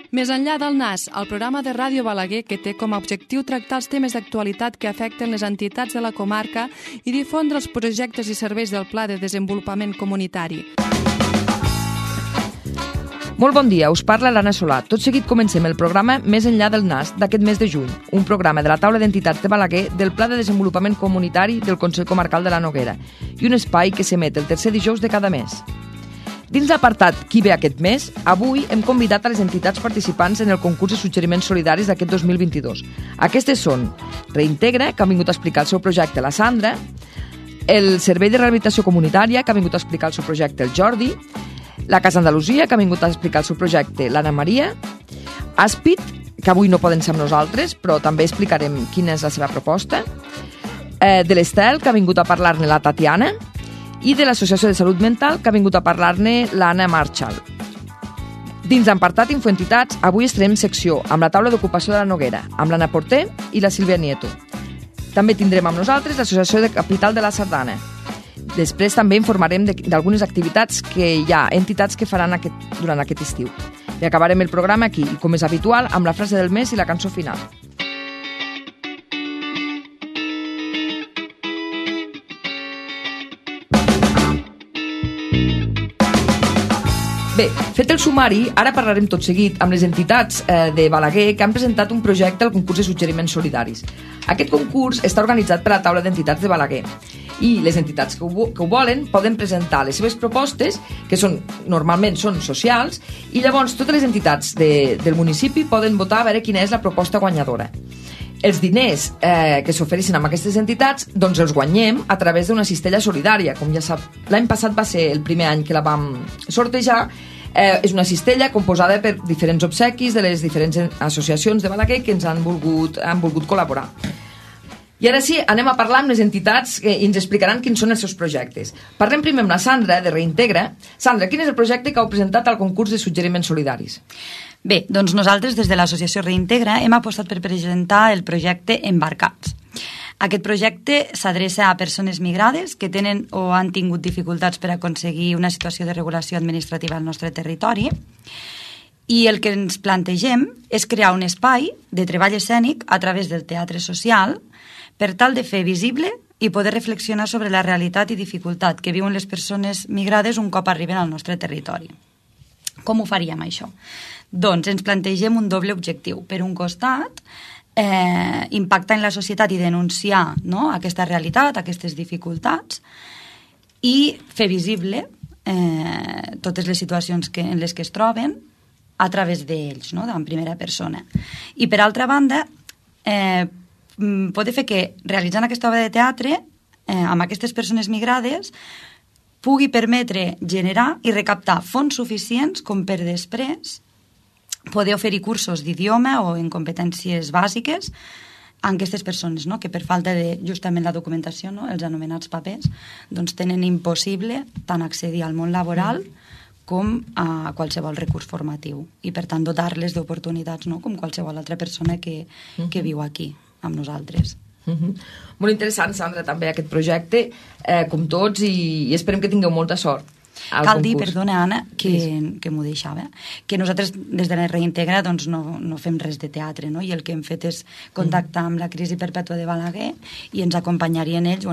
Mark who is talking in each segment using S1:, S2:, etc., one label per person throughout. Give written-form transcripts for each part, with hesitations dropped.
S1: Més enllà del NAS, el programa de Ràdio Balaguer que té com a objectiu tractar els temes d'actualitat que afecten les entitats de la comarca i difondre els projectes i serveis del Pla de Desenvolupament Comunitari.
S2: Molt bon dia, us parla l'Anna Solà. Tot seguit comencem el programa Més enllà del NAS d'aquest mes de juny, un programa de la taula d'entitats de Balaguer del Pla de Desenvolupament Comunitari del Consell Comarcal de la Noguera i un espai que s'emet el tercer dijous de cada mes. Dins l'apartat Qui ve aquest mes, avui hem convidat a les entitats participants en el concurs de suggeriments solidaris d'aquest 2022. Aquestes són Reintegra, que ha vingut a explicar el seu projecte la Sandra, el Servei de Rehabilitació Comunitària, que ha vingut a explicar el seu projecte el Jordi, la Casa Andalusia, que ha vingut a explicar el seu projecte l'Anna Maria, Àspid, que avui no poden ser amb nosaltres, però també explicarem quina és la seva proposta, de l'Estel, que ha vingut a parlar-ne la Tatiana, i de l'Associació de Salut Mental, que ha vingut a parlar-ne l'Anna Marchal. Dins l'apartat Infoentitats, avui estrenem secció amb la taula d'ocupació de la Noguera, amb l'Anna Porter i la Sílvia Nieto. També tindrem amb nosaltres l'Associació de Capital de la Sardana. Després també informarem d'algunes activitats que hi ha entitats que faran durant aquest estiu. I acabarem el programa aquí, i com és habitual, amb la frase del mes i la cançó final. Bé, fet el sumari, ara parlarem tot seguit amb les entitats de Balaguer que han presentat un projecte al concurs de suggeriments solidaris. Aquest concurs està organitzat per la taula d'entitats de Balaguer i les entitats que ho volen poden presentar les seves propostes, que normalment són socials, i llavors totes les entitats del municipi poden votar a veure quina és la proposta guanyadora. Els diners que s'ofereixen amb aquestes entitats doncs els guanyem a través d'una cistella solidària. Com ja sap, l'any passat va ser el primer any que la vam sortejar. És una cistella composada per diferents obsequis de les diferents associacions de Balaguer que ens han volgut col·laborar. I ara sí, anem a parlar amb les entitats que ens explicaran quins són els seus projectes. Parlem primer amb la Sandra, de Reintegra. Sandra, quin és el projecte que heu presentat al concurs de suggeriments solidaris?
S3: Bé, doncs nosaltres des de l'associació Reintegra hem apostat per presentar el projecte Embarcats. Aquest projecte s'adreça a persones migrades que tenen o han tingut dificultats per aconseguir una situació de regulació administrativa al nostre territori, i el que ens plantegem és crear un espai de treball escènic a través del teatre social per tal de fer visible i poder reflexionar sobre la realitat i dificultat que viuen les persones migrades un cop arriben al nostre territori. Com ho faríem, això? Doncs ens plantegem un doble objectiu. Per un costat, impactar en la societat i denunciar, no?, aquesta realitat, aquestes dificultats, i fer visible totes les situacions en les que es troben a través d'ells, no?, en primera persona. I per altra banda, poder fer que realitzant aquesta obra de teatre amb aquestes persones migrades pugui permetre generar i recaptar fons suficients com per després poder oferir cursos d'idioma o en competències bàsiques a aquestes persones, no?, que per falta de justament la documentació, no?, els anomenats papers, doncs tenen impossible tant accedir al món laboral com a qualsevol recurs formatiu i per tant dotar-les d'oportunitats, no?, com qualsevol altra persona que viu aquí amb nosaltres.
S2: Molt interessant, Sandra, també aquest projecte, com tots, i esperem que tingueu molta sort.
S3: Cal dir, perdona, Anna, que m'ho deixava, que nosaltres des de la Reintegra doncs, no fem res de teatre, no?, i el que hem fet és contactar amb la Crisi Perpètua de Balaguer i ens acompanyarien ells,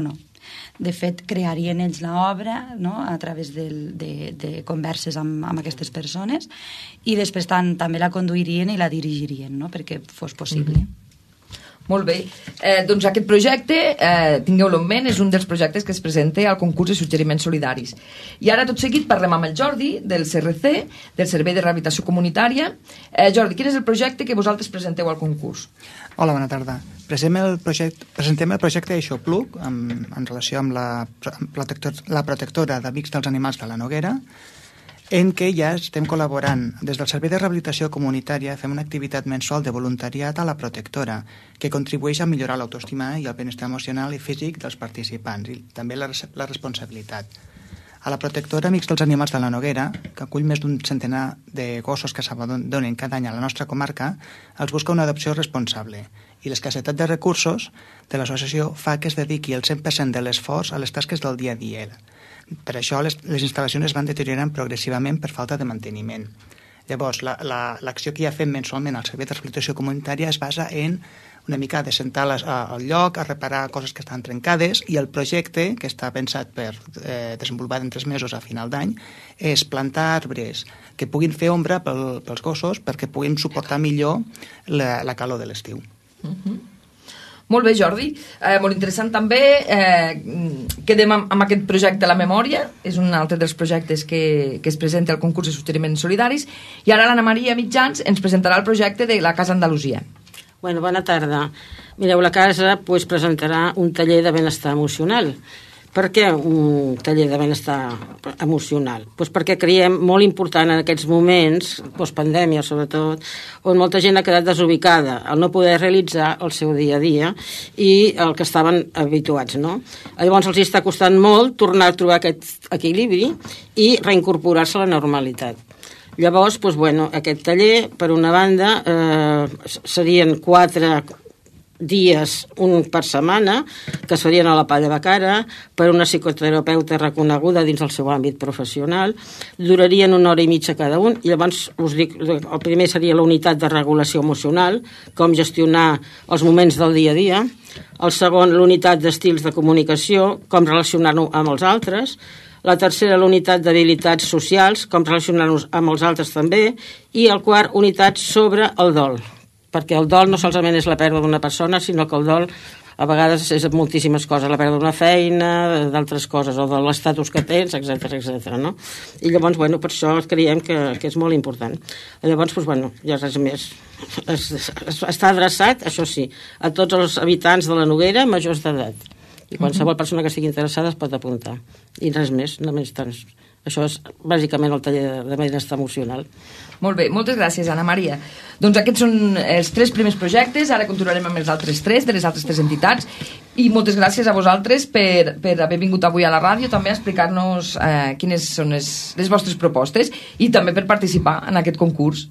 S3: de fet, crearien ells l'obra, no?, a través de converses amb aquestes persones, i després també la conduirien i la dirigirien, no?, perquè fos possible.
S2: Molt bé. Doncs aquest projecte, tingueu-lo en ment, és un dels projectes que es presenta al concurs de suggeriments solidaris. I ara, tot seguit, parlem amb el Jordi, del CRC, del Servei de Rehabilitació Comunitària. Jordi, quin és el projecte que vosaltres presenteu al concurs?
S4: Hola, bona tarda. Presentem el projecte Eixopluc en relació amb la protectora d'Amics dels Animals de la Noguera, en què ja estem col·laborant. Des del Servei de Rehabilitació Comunitària fem una activitat mensual de voluntariat a la protectora, que contribueix a millorar l'autoestima i el benestar emocional i físic dels participants, i també la responsabilitat. A la protectora Amics dels Animals de la Noguera, que acull més d'un centenar de gossos que s'abandonen cada any a la nostra comarca, els busca una adopció responsable, i l'escassetat de recursos de l'associació fa que es dediqui el 100% de l'esforç a les tasques del dia a dia. Per això les instal·lacions es van deteriorant progressivament per falta de manteniment. Llavors, l'acció que ja fem mensualment al Servei de Rehabilitació Comunitària es basa en una mica de sentar al lloc, a reparar coses que estan trencades, i el projecte, que està pensat per desenvolupar en 3 mesos a final d'any, és plantar arbres que puguin fer ombra pels gossos perquè puguin suportar millor la calor de l'estiu.
S2: Molt bé, Jordi. Molt interessant també. Quedem amb aquest projecte La Memòria. És un altre dels projectes que es presenta al concurs de suggeriments solidaris. I ara l'Anna Maria Mitjans ens presentarà el projecte de la Casa Andalusia.
S5: Bueno, bona tarda. Mireu, la casa presentarà un taller de benestar emocional. Per què un taller de benestar emocional? Perquè creiem molt important en aquests moments, postpandèmia sobretot, on molta gent ha quedat desubicada, al no poder realitzar el seu dia a dia i el que estaven habituats, no? Llavors els està costant molt tornar a trobar aquest equilibri i reincorporar-se a la normalitat. Llavors, aquest taller, per una banda, serien 4 dies, un per setmana, que es farien a la Palla de Cara per una psicoterapeuta reconeguda dins el seu àmbit professional. Durarien 1 hora i mitja cada un, i llavors us dic, el primer seria la unitat de regulació emocional, com gestionar els moments del dia a dia. El segon, l'unitat d'estils de comunicació, com relacionar-nos amb els altres. La tercera, la unitat d'habilitats socials, com relacionar-nos amb els altres també. I el quart, unitat sobre el dol, perquè el dol no solament és la pèrdua d'una persona, sinó que el dol a vegades és moltíssimes coses, la pèrdua d'una feina, d'altres coses, o de l'estatus que tens, etc. No? I llavors, per això creiem que és molt important. Llavors, ja res més. Està adreçat, això sí, a tots els habitants de la Noguera majors d'edat. I qualsevol persona que estigui interessada es pot apuntar. I res més, només tant. Això és bàsicament el taller de benestar emocional.
S2: Molt bé, moltes gràcies, Anna Maria. Doncs aquests són els 3 primers projectes, ara continuarem amb els altres 3, de les altres 3 entitats, i moltes gràcies a vosaltres per haver vingut avui a la ràdio també a explicar-nos quines són les vostres propostes i també per participar en aquest concurs,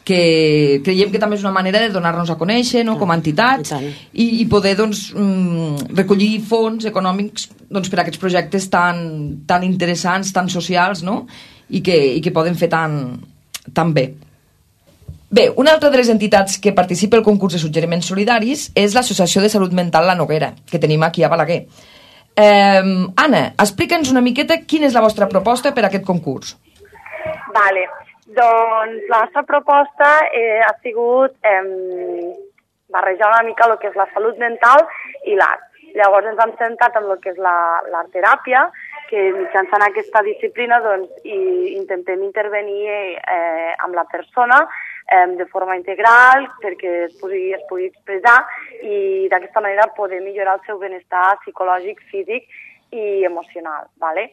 S2: que creiem que també és una manera de donar-nos a conèixer, no?, com a entitats, i poder recollir fons econòmics per a aquests projectes tan interessants, tan socials, no?, i que poden fer tan bé. Bé, una altra de les entitats que participa al concurs de suggeriments solidaris és l'Associació de Salut Mental La Noguera, que tenim aquí a Balaguer. Anna, explica'ns una miqueta quina és la vostra proposta per a aquest concurs.
S6: Vale. Doncs la nostra proposta ha sigut barrejar una mica el que és la salut mental i l'art. Llavors ens hem centrat en el que és l'art teràpia, que mitjançant aquesta disciplina intentem intervenir amb la persona de forma integral perquè es pugui expressar i d'aquesta manera poder millorar el seu benestar psicològic, físic i emocional. Vale?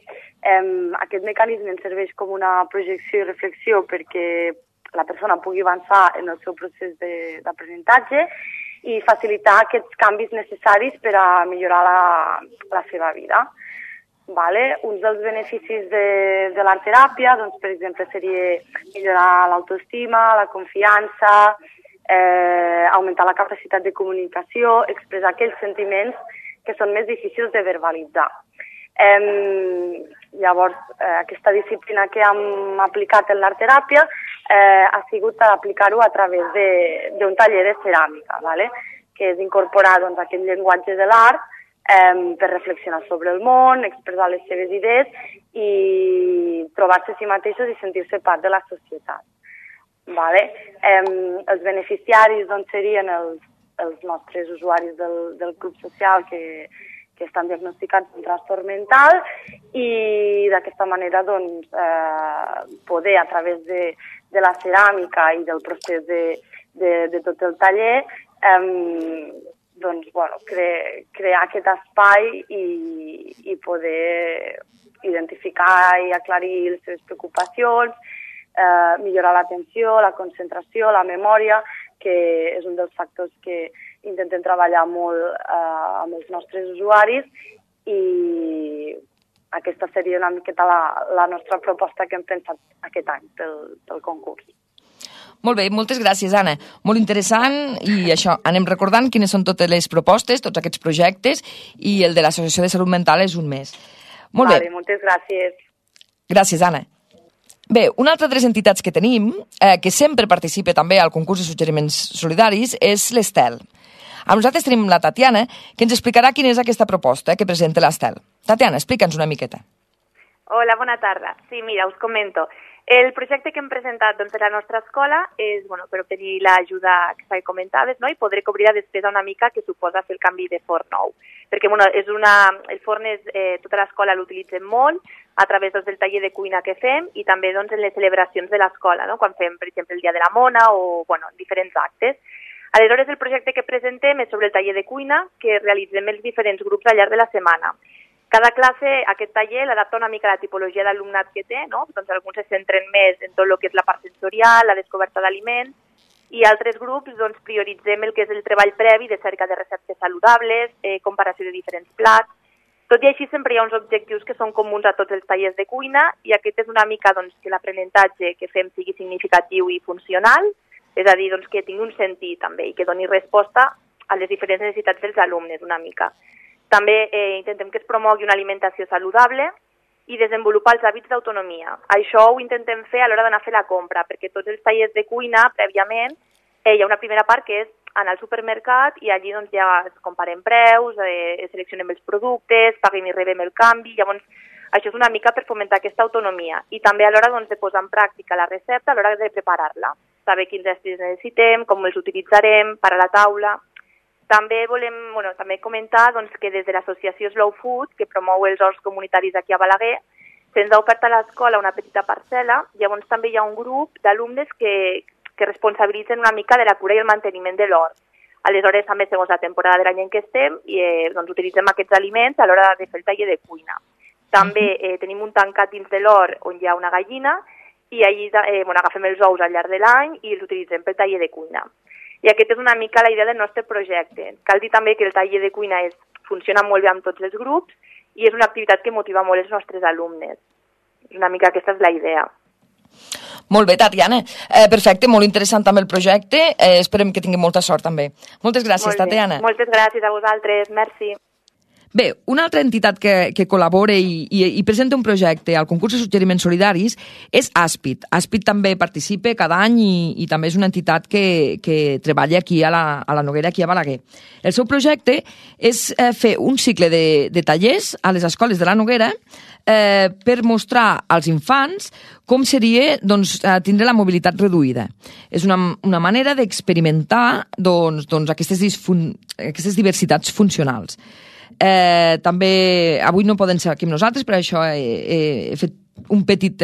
S6: Aquest mecanisme ens serveix com una projecció i reflexió perquè la persona pugui avançar en el seu procés d'aprenentatge i facilitar aquests canvis necessaris per a millorar la seva vida. Vale? Uns dels beneficis de l'art teràpia, per exemple, seria millorar l'autoestima, la confiança, augmentar la capacitat de comunicació, expressar aquells sentiments que són més difícils de verbalitzar. Llavors, aquesta disciplina que hem aplicat en l'art teràpia ha sigut aplicar-ho a través d'un taller de ceràmica, vale? Que és incorporar aquest llenguatge de l'art per reflexionar sobre el món, expressar les seves idees i trobar-se a si mateixos i sentir-se part de la societat. Vale? Els beneficiaris serien els nostres usuaris del club social que estan diagnosticats amb trastorn mental i d'aquesta manera poder a través de la ceràmica i del procés de tot el taller crear aquest espai i poder identificar i aclarir les seves preocupacions, millorar l'atenció, la concentració, la memòria, que és un dels factors que intentem treballar molt amb els nostres usuaris i aquesta seria una miqueta la nostra proposta que hem pensat aquest any pel concurs.
S2: Molt bé, moltes gràcies, Anna. Molt interessant i això, anem recordant quines són totes les propostes, tots aquests projectes i el de l'Associació de Salut Mental és un més. Molt bé.
S6: Moltes gràcies.
S2: Gràcies, Anna. Bé, una altra de les entitats que tenim, que sempre participa també al concurs de suggeriments solidaris, és l'Estel. Amb nosaltres tenim la Tatiana, que ens explicarà quina és aquesta proposta que presenta l'Estel. Tatiana, explica'ns una miqueta.
S7: Hola, bona tarda. Sí, mira, us comento. El projecte que hem presentat per la nostra escola és per obtenir l'ajuda que comentaves, no? I poder cobrir la despesa una mica que suposa fer el canvi de forn nou. Perquè el forn tota l'escola l'utilitzem molt a través del taller de cuina que fem i també en les celebracions de l'escola, no? Quan fem, per exemple, el Dia de la Mona o diferents actes. Aleshores, el projecte que presentem és sobre el taller de cuina que realitzem els diferents grups al llarg de la setmana. Cada classe, aquest taller, l'adapta una mica a la tipologia d'alumnat que té, no? Doncs alguns se centren més en tot el que és la part sensorial, la descoberta d'aliments, i altres grups prioritzem el que és el treball previ de cerca de receptes saludables, comparació de diferents plats. Tot i així, sempre hi ha uns objectius que són comuns a tots els tallers de cuina i aquest és una mica que l'aprenentatge que fem sigui significatiu i funcional, és a dir, que tingui un sentit també i que doni resposta a les diferents necessitats dels alumnes una mica. També intentem que es promogui una alimentació saludable i desenvolupar els hàbits d'autonomia. Això ho intentem fer a l'hora d'anar a fer la compra, perquè tots els tallers de cuina, prèviament, hi ha una primera part que és anar al supermercat i allí ja es comparem preus, seleccionem els productes, paguem i rebem el canvi. Llavors, això és una mica per fomentar aquesta autonomia i també a l'hora de posar en pràctica la recepta, a l'hora de preparar-la. Saber quins estris necessitem, com els utilitzarem, per a la taula. També volem també comentar que des de l'associació Slow Food, que promou els horts comunitaris aquí a Balaguer, se'ns ha ofert a l'escola una petita parcel·la. Llavors també hi ha un grup d'alumnes que responsabilitzen una mica de la cura i el manteniment de l'hort. Aleshores, també segons la temporada de l'any en què estem, utilitzem aquests aliments a l'hora de fer el taller de cuina. També tenim un tancat dins de l'hort on hi ha una gallina i allí agafem els ous al llarg de l'any i els utilitzem pel taller de cuina. I aquesta és una mica la idea del nostre projecte. Cal dir també que el taller de cuina funciona molt bé amb tots els grups i és una activitat que motiva molt els nostres alumnes. Una mica aquesta és la idea.
S2: Molt bé, Tatiana. Perfecte, molt interessant també el projecte. Esperem que tingui molta sort també. Moltes gràcies, Tatiana.
S7: Moltes gràcies a vosaltres. Merci.
S2: Bé, una altra entitat que col·labora i presenta un projecte al concurs de suggeriments solidaris és Aspit. Aspit també participa cada any i també és una entitat que treballa aquí a la Noguera, aquí a Balaguer. El seu projecte és fer un cicle de tallers a les escoles de la Noguera per mostrar als infants com seria tindre la mobilitat reduïda. És una manera d'experimentar aquestes diversitats funcionals. També avui no poden ser aquí amb nosaltres, per això he fet un petit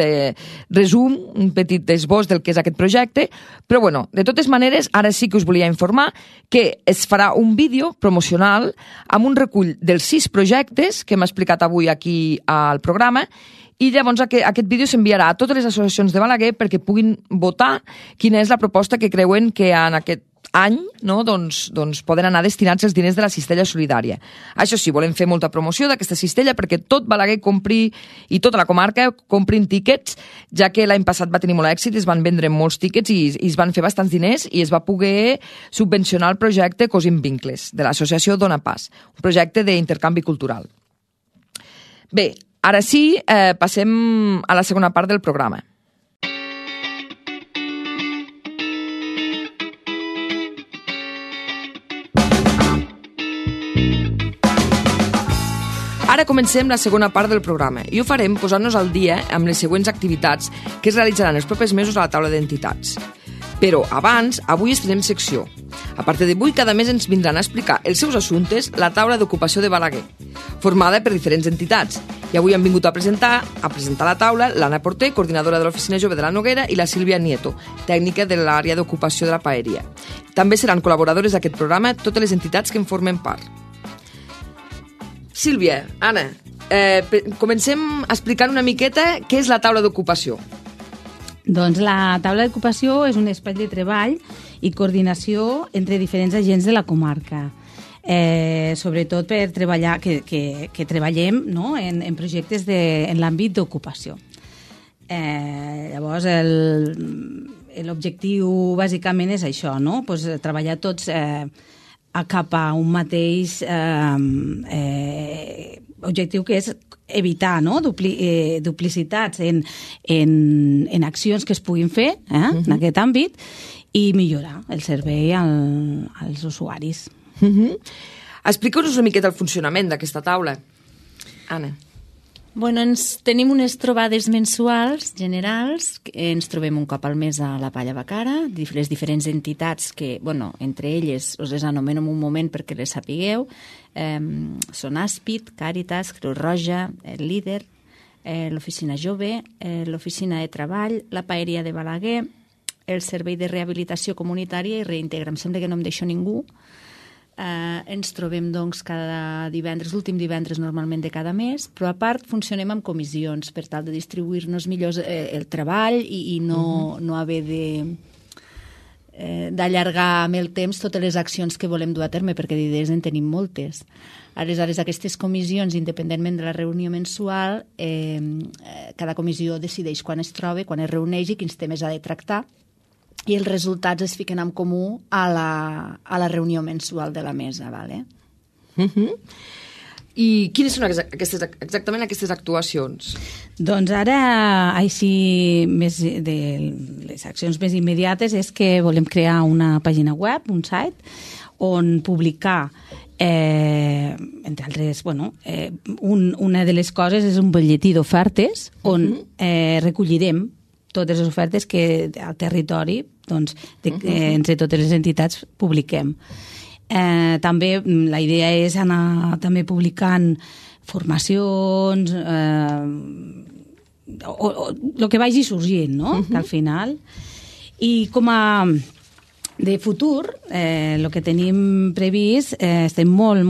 S2: resum, un petit esbós del que és aquest projecte, però bueno, de totes maneres, ara sí que us volia informar que es farà un vídeo promocional amb un recull dels 6 projectes que hem explicat avui aquí al programa i llavors aquest vídeo s'enviarà a totes les associacions de Balaguer perquè puguin votar quina és la proposta que creuen que en aquest any poden anar destinats els diners de la cistella solidària. Això sí, volem fer molta promoció d'aquesta cistella perquè tot Balaguer compri i tota la comarca comprin tíquets, ja que l'any passat va tenir molt èxit, es van vendre molts tíquets i es van fer bastants diners i es va poder subvencionar el projecte Cosim Vincles, de l'associació Dona Pas, un projecte d'intercanvi cultural. Bé, ara sí, passem a la segona part del programa. Ara comencem la segona part del programa i ho farem posant-nos al dia amb les següents activitats que es realitzaran els propers mesos a la taula d'entitats. Però abans, avui estrenem secció. A partir d'avui, cada mes ens vindran a explicar els seus assumptes la taula d'ocupació de Balaguer, formada per diferents entitats. I avui han vingut a presentar la taula l'Anna Porter, coordinadora de l'Oficina Jove de la Noguera, i la Sílvia Nieto, tècnica de l'àrea d'ocupació de la paeria. També seran col·laboradores d'aquest programa totes les entitats que en formen part. Sílvia, Anna, comencem explicant una miqueta què és la taula d'ocupació.
S8: Doncs la taula d'ocupació és un espai de treball i coordinació entre diferents agents de la comarca. Sobretot per treballar, que treballem, no?, en projectes en l'àmbit d'ocupació. Llavors, l'objectiu bàsicament és això, no?, pues, treballar tots cap a un mateix objectiu, que és evitar duplicitats en accions que es puguin fer en aquest àmbit i millorar el servei als usuaris.
S2: Explica'ns una miqueta el funcionament d'aquesta taula. Anna.
S9: Bueno, tenim unes trobades mensuals generals, ens trobem un cop al mes a la Palla Bacara, les diferents entitats que, bueno, entre elles us les anomeno en un moment perquè les sapigueu, són Àspid, Càritas, Creu Roja, el Líder, l'Oficina Jove, l'Oficina de Treball, la Paeria de Balaguer, el Servei de Rehabilitació Comunitària i Reintegra. Em sembla que no em deixo ningú. Ens trobem doncs cada divendres, l'últim divendres normalment de cada mes, però a part funcionem amb comissions per tal de distribuir-nos millor el treball i no haver d'allargar amb el temps totes les accions que volem dur a terme, perquè d'idees en tenim moltes. Aleshores, aquestes comissions, independentment de la reunió mensual, cada comissió decideix quan es troba, quan es reuneix i quins temes ha de tractar, i els resultats es fiquen en comú a la reunió mensual de la mesa. Vale?
S2: I quines són exactament aquestes actuacions?
S8: Doncs ara, així, de les accions més immediates és que volem crear una pàgina web, un site, on publicar entre altres, una de les coses és un butlletí d'ofertes on recollirem totes les ofertes que al territori entre totes les entitats publiquem. També la idea és anar també publicant formacions o el que vagi sorgint, no? Que al final. I com a de futur, el que tenim previst, estem molt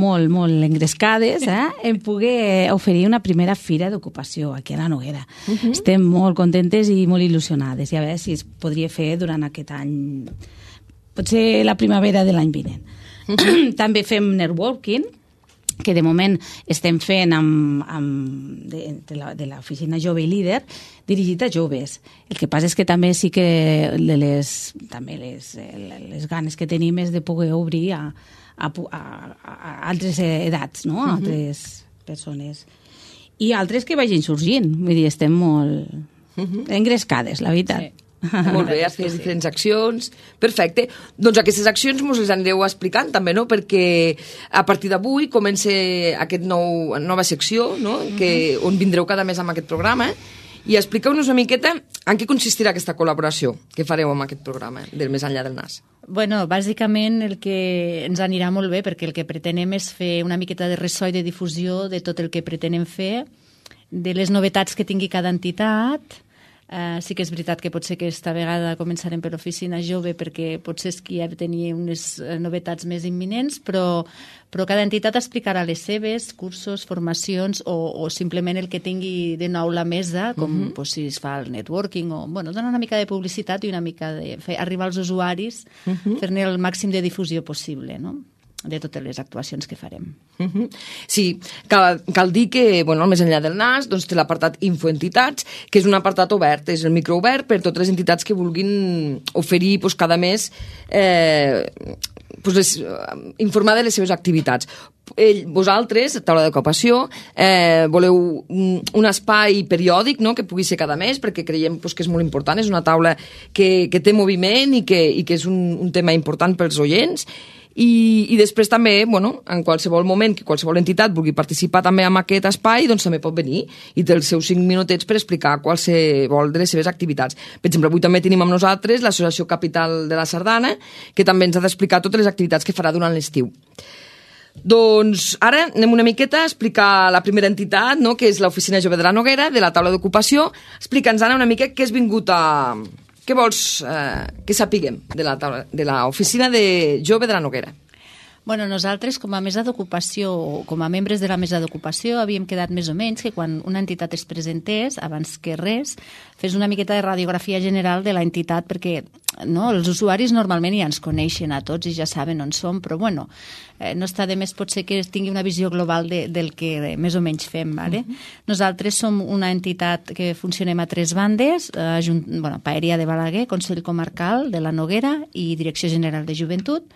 S8: engrescades en poder oferir una primera fira d'ocupació aquí a la Noguera. Estem molt contentes i molt il·lusionades i a veure si es podria fer durant aquest any, potser la primavera de l'any vinent. També fem networking, que de moment estem fent de l'Oficina Jove i Líder, dirigit a joves. El que passa és que també sí que les ganes que tenim és de poder obrir a altres edats, no? A altres persones. I altres que vagin sorgint. Vull dir, estem molt engrescades, la veritat.
S2: Sí. Molt bé, has fet diferents accions. Perfecte. Doncs aquestes accions ens les anireu explicant també, no? Perquè a partir d'avui comença aquesta nova secció, no? On vindreu cada mes amb aquest programa. I expliqueu-nos una miqueta en què consistirà aquesta col·laboració que fareu amb aquest programa del Més enllà del nas.
S9: Bueno, bàsicament el que ens anirà molt bé, perquè el que pretenem és fer una miqueta de ressò i de difusió de tot el que pretenem fer, de les novetats que tingui cada entitat. Sí que és veritat que potser que esta vegada començarem per l'Oficina Jove perquè potser és que ja tenia unes novetats més imminents, però cada entitat explicarà les seves, cursos, formacions o simplement el que tingui de nou la mesa, com si es fa el networking o donar una mica de publicitat i una mica de fer arribar als usuaris, fer-ne el màxim de difusió possible, no?, de totes les actuacions que farem.
S2: Sí, cal dir que al Més enllà del nas té l'apartat Infoentitats, que és un apartat obert, és el microobert per totes les entitats que vulguin oferir cada mes informar de les seves activitats. Vosaltres, taula d'ocupació, voleu un espai periòdic, no?, que pugui ser cada mes, perquè creiem que és molt important, és una taula que té moviment i que és un tema important pels oients. I després també, en qualsevol moment que qualsevol entitat vulgui participar també en aquest espai, doncs també pot venir i té els seus 5 minutets per explicar qualsevol de les seves activitats. Per exemple, avui també tenim amb nosaltres l'Associació Capital de la Sardana, que també ens ha d'explicar totes les activitats que farà durant l'estiu. Doncs ara anem una miqueta a explicar la primera entitat, no?, que és l'Oficina Jove de la Noguera, de la taula d'ocupació. Explica'ns, Anna, una mica què has vingut a... Què vols que sapiguem de l'Oficina de Jove de la Noguera?
S9: Bueno, nosaltres, com a mesa d'ocupació, o com a membres de la mesa d'ocupació, havíem quedat més o menys que quan una entitat es presentés, abans que res, fes una miqueta de radiografia general de l'entitat, perquè els usuaris normalment ja ens coneixen a tots i ja saben on som, però no està de més potser que tingui una visió global del que més o menys fem. Vale? Nosaltres som una entitat que funcionem a 3 bandes, Paeria de Balaguer, Consell Comarcal de la Noguera i Direcció General de Joventut.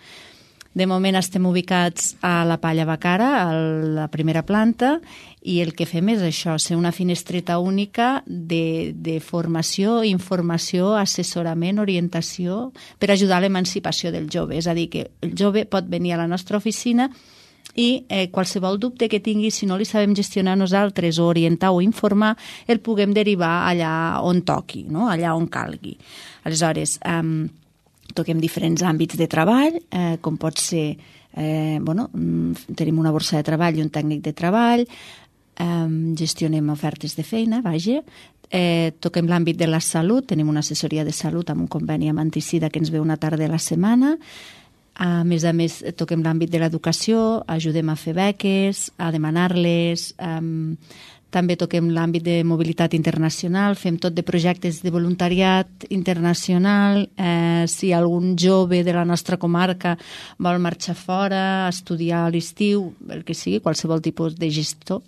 S9: De moment estem ubicats a la Palla Bacara, a la primera planta, i el que fem és això, ser una finestreta única de formació, informació, assessorament, orientació per ajudar a l'emancipació del jove. És a dir, que el jove pot venir a la nostra oficina i qualsevol dubte que tingui, si no li sabem gestionar nosaltres o orientar o informar, el puguem derivar allà on toqui, no? Allà on calgui. Aleshores, toquem diferents àmbits de treball, com pot ser, tenim una borsa de treball i un tècnic de treball, gestionem ofertes de feina, vaja, toquem l'àmbit de la salut, tenim una assessoria de salut amb un conveni amb Anticida que ens ve una tarda a la setmana. A més, toquem l'àmbit de l'educació, ajudem a fer beques, a demanar-les, també toquem l'àmbit de mobilitat internacional, fem tot de projectes de voluntariat internacional, si algun jove de la nostra comarca vol marxar fora, estudiar a l'estiu, el que sigui, qualsevol tipus de gestió.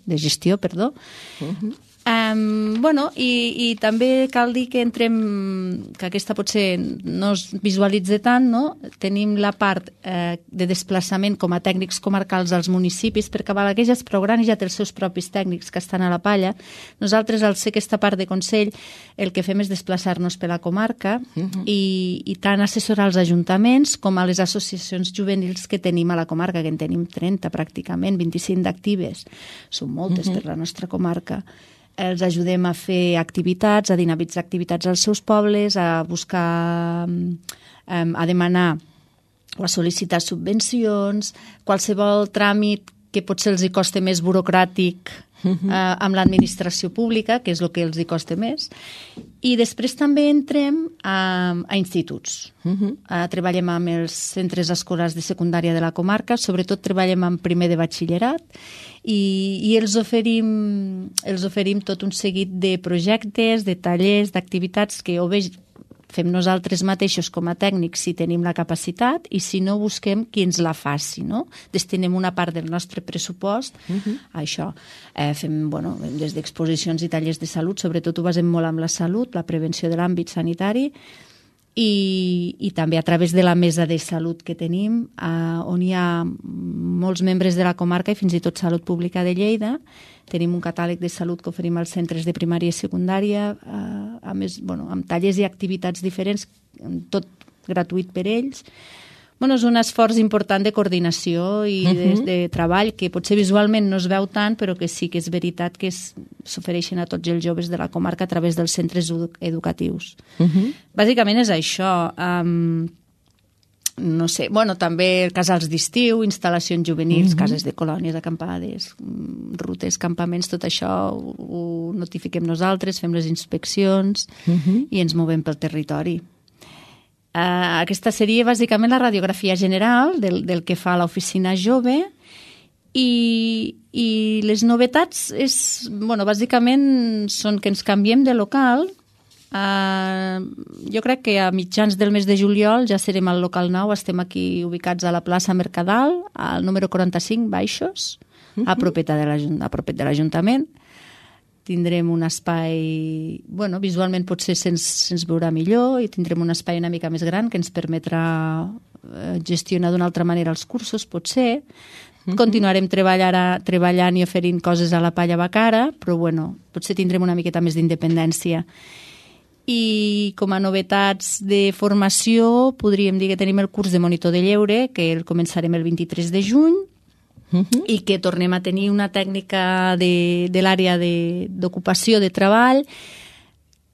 S9: I també cal dir que que aquesta potser no es visualitza tant, no? Tenim la part de desplaçament com a tècnics comarcals als municipis, perquè Balaguer ja és prou gran i ja té els seus propis tècnics que estan a la palla. Nosaltres, al ser aquesta part de Consell, el que fem és desplaçar-nos per la comarca i tant assessorar els ajuntaments com a les associacions juvenils que tenim a la comarca, que en tenim 30 pràcticament, 25 d'actives. Són moltes per la nostra comarca. Els ajudem a fer activitats, a dinamitzar activitats als seus pobles, a buscar, a demanar o a sol·licitar subvencions, qualsevol tràmit que potser els hi costa més burocràtic amb l'administració pública, que és el que els hi costa més. I després també entrem a instituts. Treballem amb els centres escolars de secundària de la comarca, sobretot treballem amb primer de batxillerat, i els oferim tot un seguit de projectes, de tallers, d'activitats que o bé fem nosaltres mateixos com a tècnics si tenim la capacitat i si no busquem qui ens la faci, no? Destinem una part del nostre pressupost a això. Fem des d'exposicions i tallers de salut, sobretot ho basem molt amb la salut, la prevenció de l'àmbit sanitari, i també a través de la mesa de salut que tenim, on hi ha molts membres de la comarca i fins i tot Salut Pública de Lleida. Tenim un catàleg de salut que oferim als centres de primària i secundària, a més, amb tallers i activitats diferents, tot gratuït per ells. És un esforç important de coordinació i de treball que potser visualment no es veu tant, però que sí que és veritat que s'ofereixen a tots els joves de la comarca a través dels centres educatius. Bàsicament és això. No sé, també casals d'estiu, instal·lacions juvenils, cases de colònies, acampades, rutes, campaments, tot això ho notifiquem nosaltres, fem les inspeccions i ens movem pel territori. Aquesta seria bàsicament la radiografia general del que fa l'oficina jove i les novetats bàsicament són que ens canviem de local. Jo crec que a mitjans del mes de juliol ja serem al local nou, estem aquí ubicats a la plaça Mercadal, al número 45 baixos, a propet de l'Ajuntament. Tindrem un espai, visualment potser se'ns veurà millor i tindrem un espai una mica més gran que ens permetrà gestionar d'una altra manera els cursos, potser. Continuarem treballant i oferint coses a la Palla Bacara, però potser tindrem una miqueta més d'independència. I com a novetats de formació podríem dir que tenim el curs de monitor de lleure, que el començarem el 23 de juny, i que tornem a tenir una tècnica de l'àrea d'ocupació de treball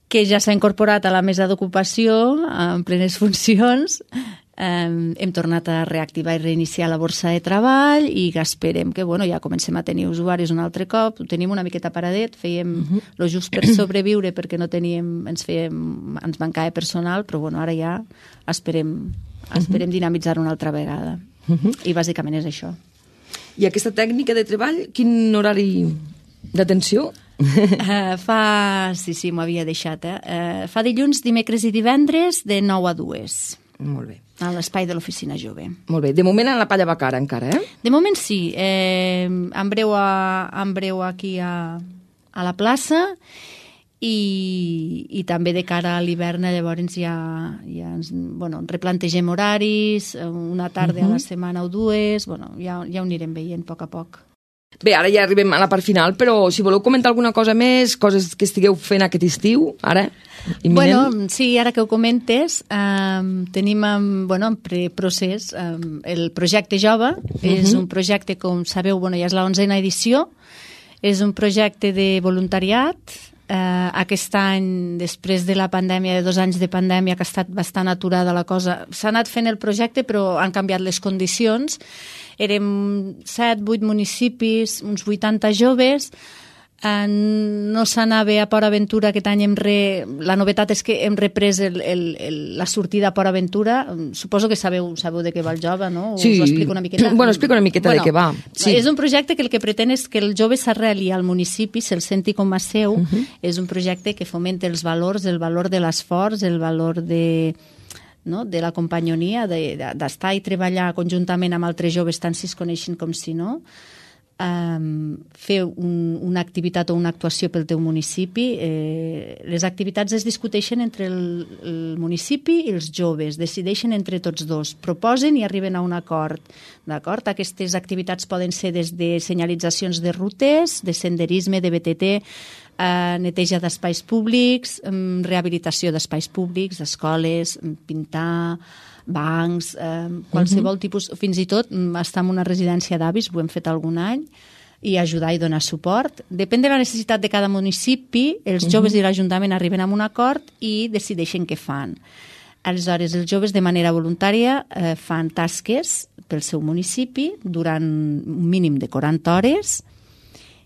S9: que ja s'ha incorporat a la mesa d'ocupació en plenes funcions. Hem tornat a reactivar i reiniciar la borsa de treball i esperem que ja comencem a tenir usuaris un altre cop. Ho tenim una miqueta paradet, fèiem lo just per sobreviure perquè no teníem, ens mancava personal, però ara ja esperem dinamitzar-ho una altra vegada. I bàsicament és això.
S2: I aquesta tècnica de treball, quin horari d'atenció?
S9: Sí, m'ho havia deixat. Fa dilluns, dimecres i divendres de 9 a 2.
S2: Molt bé.
S9: A l'espai de l'oficina jove.
S2: Molt bé. De moment a la Palla Bacara encara,
S9: De moment sí. En breu aquí a la plaça i també de cara a l'hivern llavors ja replantegem horaris, una tarda a la setmana o dues, ja ho anirem veient a poc a poc.
S2: Bé, ara ja arribem a la part final, però si voleu comentar alguna cosa més, coses que estigueu fent aquest estiu, ara, imminent.
S9: Sí, ara que ho comentes, tenim en preprocés el projecte Jove. És un projecte, com sabeu, ja és la 11a edició, és un projecte de voluntariat. Aquest any, després de la pandèmia, de 2 anys de pandèmia, que ha estat bastant aturada la cosa, s'ha anat fent el projecte, però han canviat les condicions. Érem 7-8 municipis, uns 80 joves. No s'anava a Port Aventura aquest any. La novetat és que hem reprès la sortida a Port Aventura. Suposo que sabeu de què va el Jove, no?
S2: Sí.
S9: Us ho explico una miqueta?
S2: Explica una miqueta de què va. Sí.
S9: És un projecte que el que pretén és que el jove s'arreli al municipi, se'l senti com a seu. És un projecte que fomenta els valors, el valor de l'esforç, el valor de la companyonia, d'estar i treballar conjuntament amb altres joves, tant si es coneixen com si no. Fer una activitat o una actuació pel teu municipi. Les activitats es discuteixen entre el municipi i els joves, decideixen entre tots dos, proposen i arriben a un acord. D'acord? Aquestes activitats poden ser des de senyalitzacions de rutes, de senderisme, de BTT, neteja d'espais públics, rehabilitació d'espais públics, escoles, pintar, bancs, qualsevol tipus, fins i tot estar en una residència d'avis, ho hem fet algun any, i ajudar i donar suport. Depèn de la necessitat de cada municipi, els joves i l'Ajuntament arriben a un acord i decideixen què fan. Aleshores, els joves de manera voluntària fan tasques pel seu municipi durant un mínim de 40 hores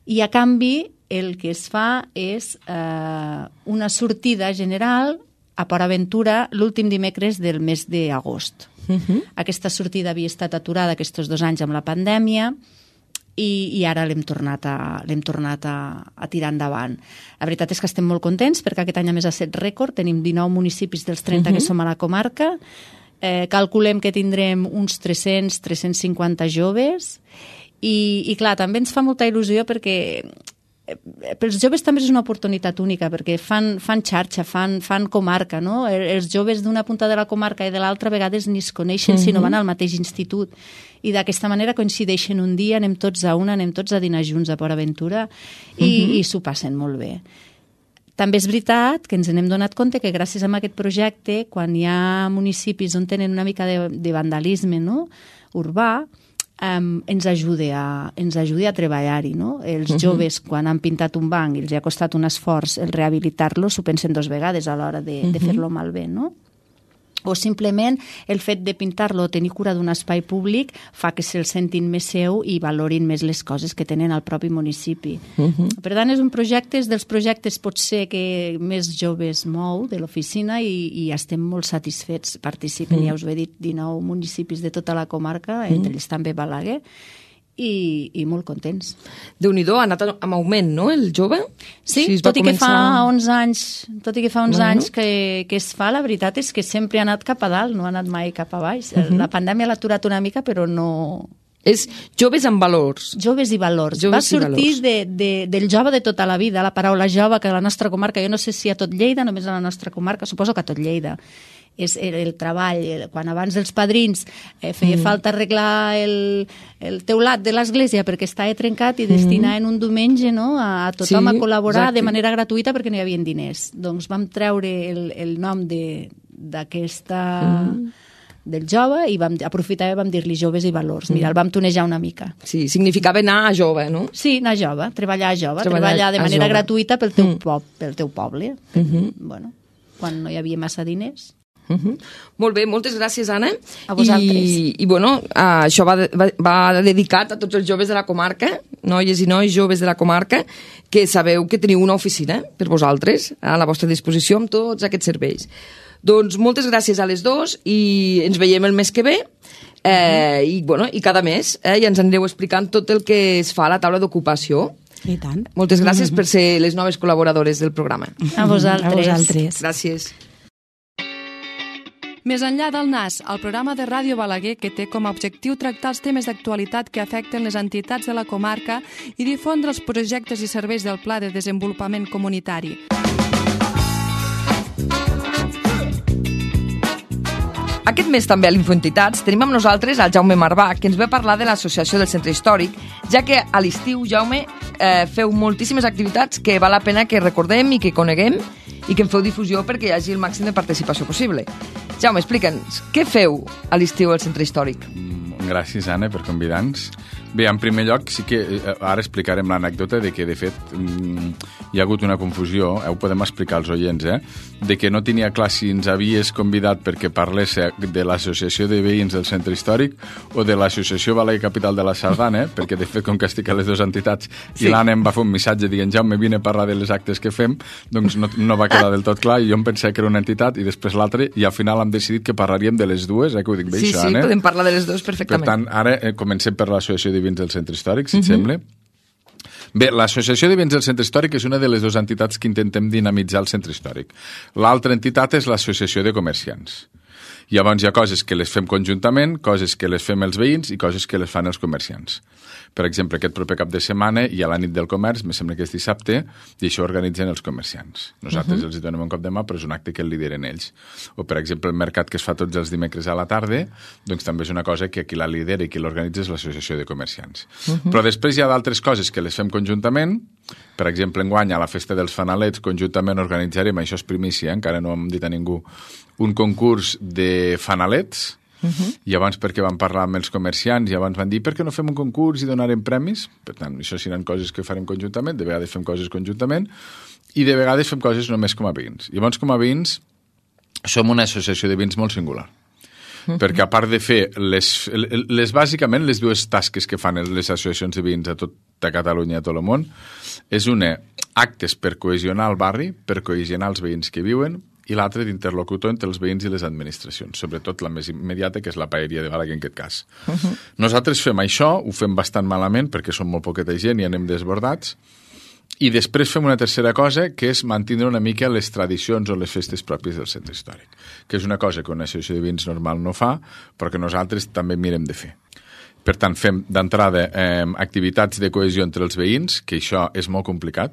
S9: i a canvi el que es fa és una sortida general a Port Aventura l'últim dimecres del mes d'agost. Aquesta sortida havia estat aturada aquests 2 anys amb la pandèmia i ara l'hem tornat a tirar endavant. La veritat és que estem molt contents perquè aquest any a més ha set rècord, tenim 19 municipis dels 30 que som a la comarca, calculem que tindrem uns 300-350 joves i clar, també ens fa molta il·lusió perquè pels joves també és una oportunitat única perquè fan xarxa, fan comarca, no? Els joves d'una punta de la comarca i de l'altra a vegades ni es coneixen si no van al mateix institut i d'aquesta manera coincideixen un dia, anem tots a una, anem tots a dinar junts a Port Aventura i s'ho passen molt bé. També és veritat que ens n'hem donat compte que gràcies a aquest projecte, quan hi ha municipis on tenen una mica de vandalisme, no? Urbà, ens ajuda a treballar-hi, no? Els joves, quan han pintat un banc i els ha costat un esforç el rehabilitar-lo, s'ho pensen 2 vegades a l'hora de fer-lo malbé, no? O simplement el fet de pintar-lo o tenir cura d'un espai públic fa que se'l sentin més seu i valorin més les coses que tenen al propi municipi. Per tant, és un projecte, és dels projectes potser que més joves mou de l'oficina i estem molt satisfets. Participen, ja us ho he dit, 19 municipis de tota la comarca, entre ells també Balaguer, i molt contents.
S2: Déu-n'hi-do, ha anat amb augment, no, el jove?
S9: Sí, tot i que fa 11 anys que es fa, la veritat és que sempre ha anat cap a dalt, no ha anat mai cap a baix. La pandèmia l'ha aturat una mica, però no...
S2: És joves amb valors.
S9: Joves i valors. Va sortir del jove de tota la vida, la paraula jove, que a la nostra comarca, jo no sé si a tot Lleida, només a la nostra comarca, suposo que a tot Lleida. És el treball, quan abans dels padrins feia falta arreglar el teulat de l'església perquè estava trencat i destinar en un diumenge, no, a tothom a col·laborar de manera gratuïta perquè no hi havia diners. Doncs vam treure el nom d'aquesta... del jove i vam aprofitar i vam dir-li joves i valors. Mira, el vam tonejar una mica.
S2: Sí, significava anar a jove, no?
S9: Sí, anar a jove, treballar a jove, treballar de manera gratuïta pel teu poble. Bueno, quan no hi havia massa diners.
S2: Molt bé, moltes gràcies, Anna.
S9: A vosaltres.
S2: I bueno, això va dedicat a tots els joves de la comarca, noies i nois joves de la comarca, que sabeu que teniu una oficina per vosaltres a la vostra disposició amb tots aquests serveis. Doncs moltes gràcies a les dues i ens veiem el mes que ve i cada mes ja ens anireu explicant tot el que es fa a la taula d'ocupació.
S8: I tant.
S2: Moltes gràcies per ser les noves col·laboradores del programa.
S9: A vosaltres.
S2: Gràcies.
S1: Més enllà del NAS, el programa de Ràdio Balaguer que té com a objectiu tractar els temes d'actualitat que afecten les entitats de la comarca i difondre els projectes i serveis del Pla de Desenvolupament Comunitari.
S2: Aquest mes també a l'Infoentitats tenim amb nosaltres el Jaume Marbà, que ens ve a parlar de l'associació del Centre Històric, ja que a l'estiu, Jaume, feu moltíssimes activitats que val la pena que recordem i que coneguem i que en feu difusió perquè hi hagi el màxim de participació possible. Jaume, explica'ns, què feu a l'estiu al Centre Històric?
S10: Gràcies, Anna, per convidar-nos. Bé, en primer lloc, sí que ara explicarem l'anècdota de que, de fet, hi ha hagut una confusió, ho podem explicar als oients, de que no tenia clar si ens havies convidat perquè parlés de l'Associació de Veïns del Centre Històric o de l'Associació Balaguer Capital de la Sardana, perquè, de fet, com que estic a les dues entitats, i l'Anna em va fer un missatge dient, Jaume, vine a parlar de les actes que fem, doncs no va quedar del tot clar, i jo em pensava que era una entitat i després l'altra, i al final hem decidit que parlaríem de les dues, que ho dic bé,
S2: sí,
S10: això,
S2: Anna?
S10: Sí,
S2: podem parlar de les dues perfectament.
S10: Per tant, ara comencem per l'Associació de Veïns del Centre Històric, si et sembla. Bé, l'Associació de Veïns del Centre Històric és una de les dues entitats que intentem dinamitzar el Centre Històric. L'altra entitat és l'Associació de Comerciants. Llavors hi ha coses que les fem conjuntament, coses que les fem els veïns i coses que les fan els comerciants. Per exemple, aquest proper cap de setmana hi ha la nit del comerç, me sembla que és dissabte, i això organitzen els comerciants. Nosaltres els donem un cop de mà, però és un acte que el lideren ells. O, per exemple, el mercat que es fa tots els dimecres a la tarda, doncs també és una cosa que qui la lidera i qui l'organitza és l'Associació de Comerciants. Però després hi ha d'altres coses que les fem conjuntament. Per exemple, enguany a la Festa dels Fanalets conjuntament organitzarem, això és primícia, encara no hem dit a ningú, un concurs de fanalets. I abans perquè vam parlar amb els comerciants i abans van dir per què no fem un concurs i donarem premis? Per tant, això seran coses que farem conjuntament, de vegades fem coses conjuntament i de vegades fem coses només com a veïns. Llavors, com a veïns, som una associació de veïns molt singular. Perquè a part de fer bàsicament les dues tasques que fan les associacions de veïns a tota Catalunya i a tot el món, és una, actes per cohesionar el barri, per cohesionar els veïns que viuen, i l'altre d'interlocutor entre els veïns i les administracions, sobretot la més immediata, que és la paeria de Balaguer en aquest cas. Nosaltres fem això, ho fem bastant malament perquè som molt poqueta gent i anem desbordats, i després fem una tercera cosa, que és mantenir una mica les tradicions o les festes pròpies del Centre Històric, que és una cosa que una associació de veïns normal no fa, però que nosaltres també mirem de fer. Per tant, fem d'entrada activitats de cohesió entre els veïns, que això és molt complicat,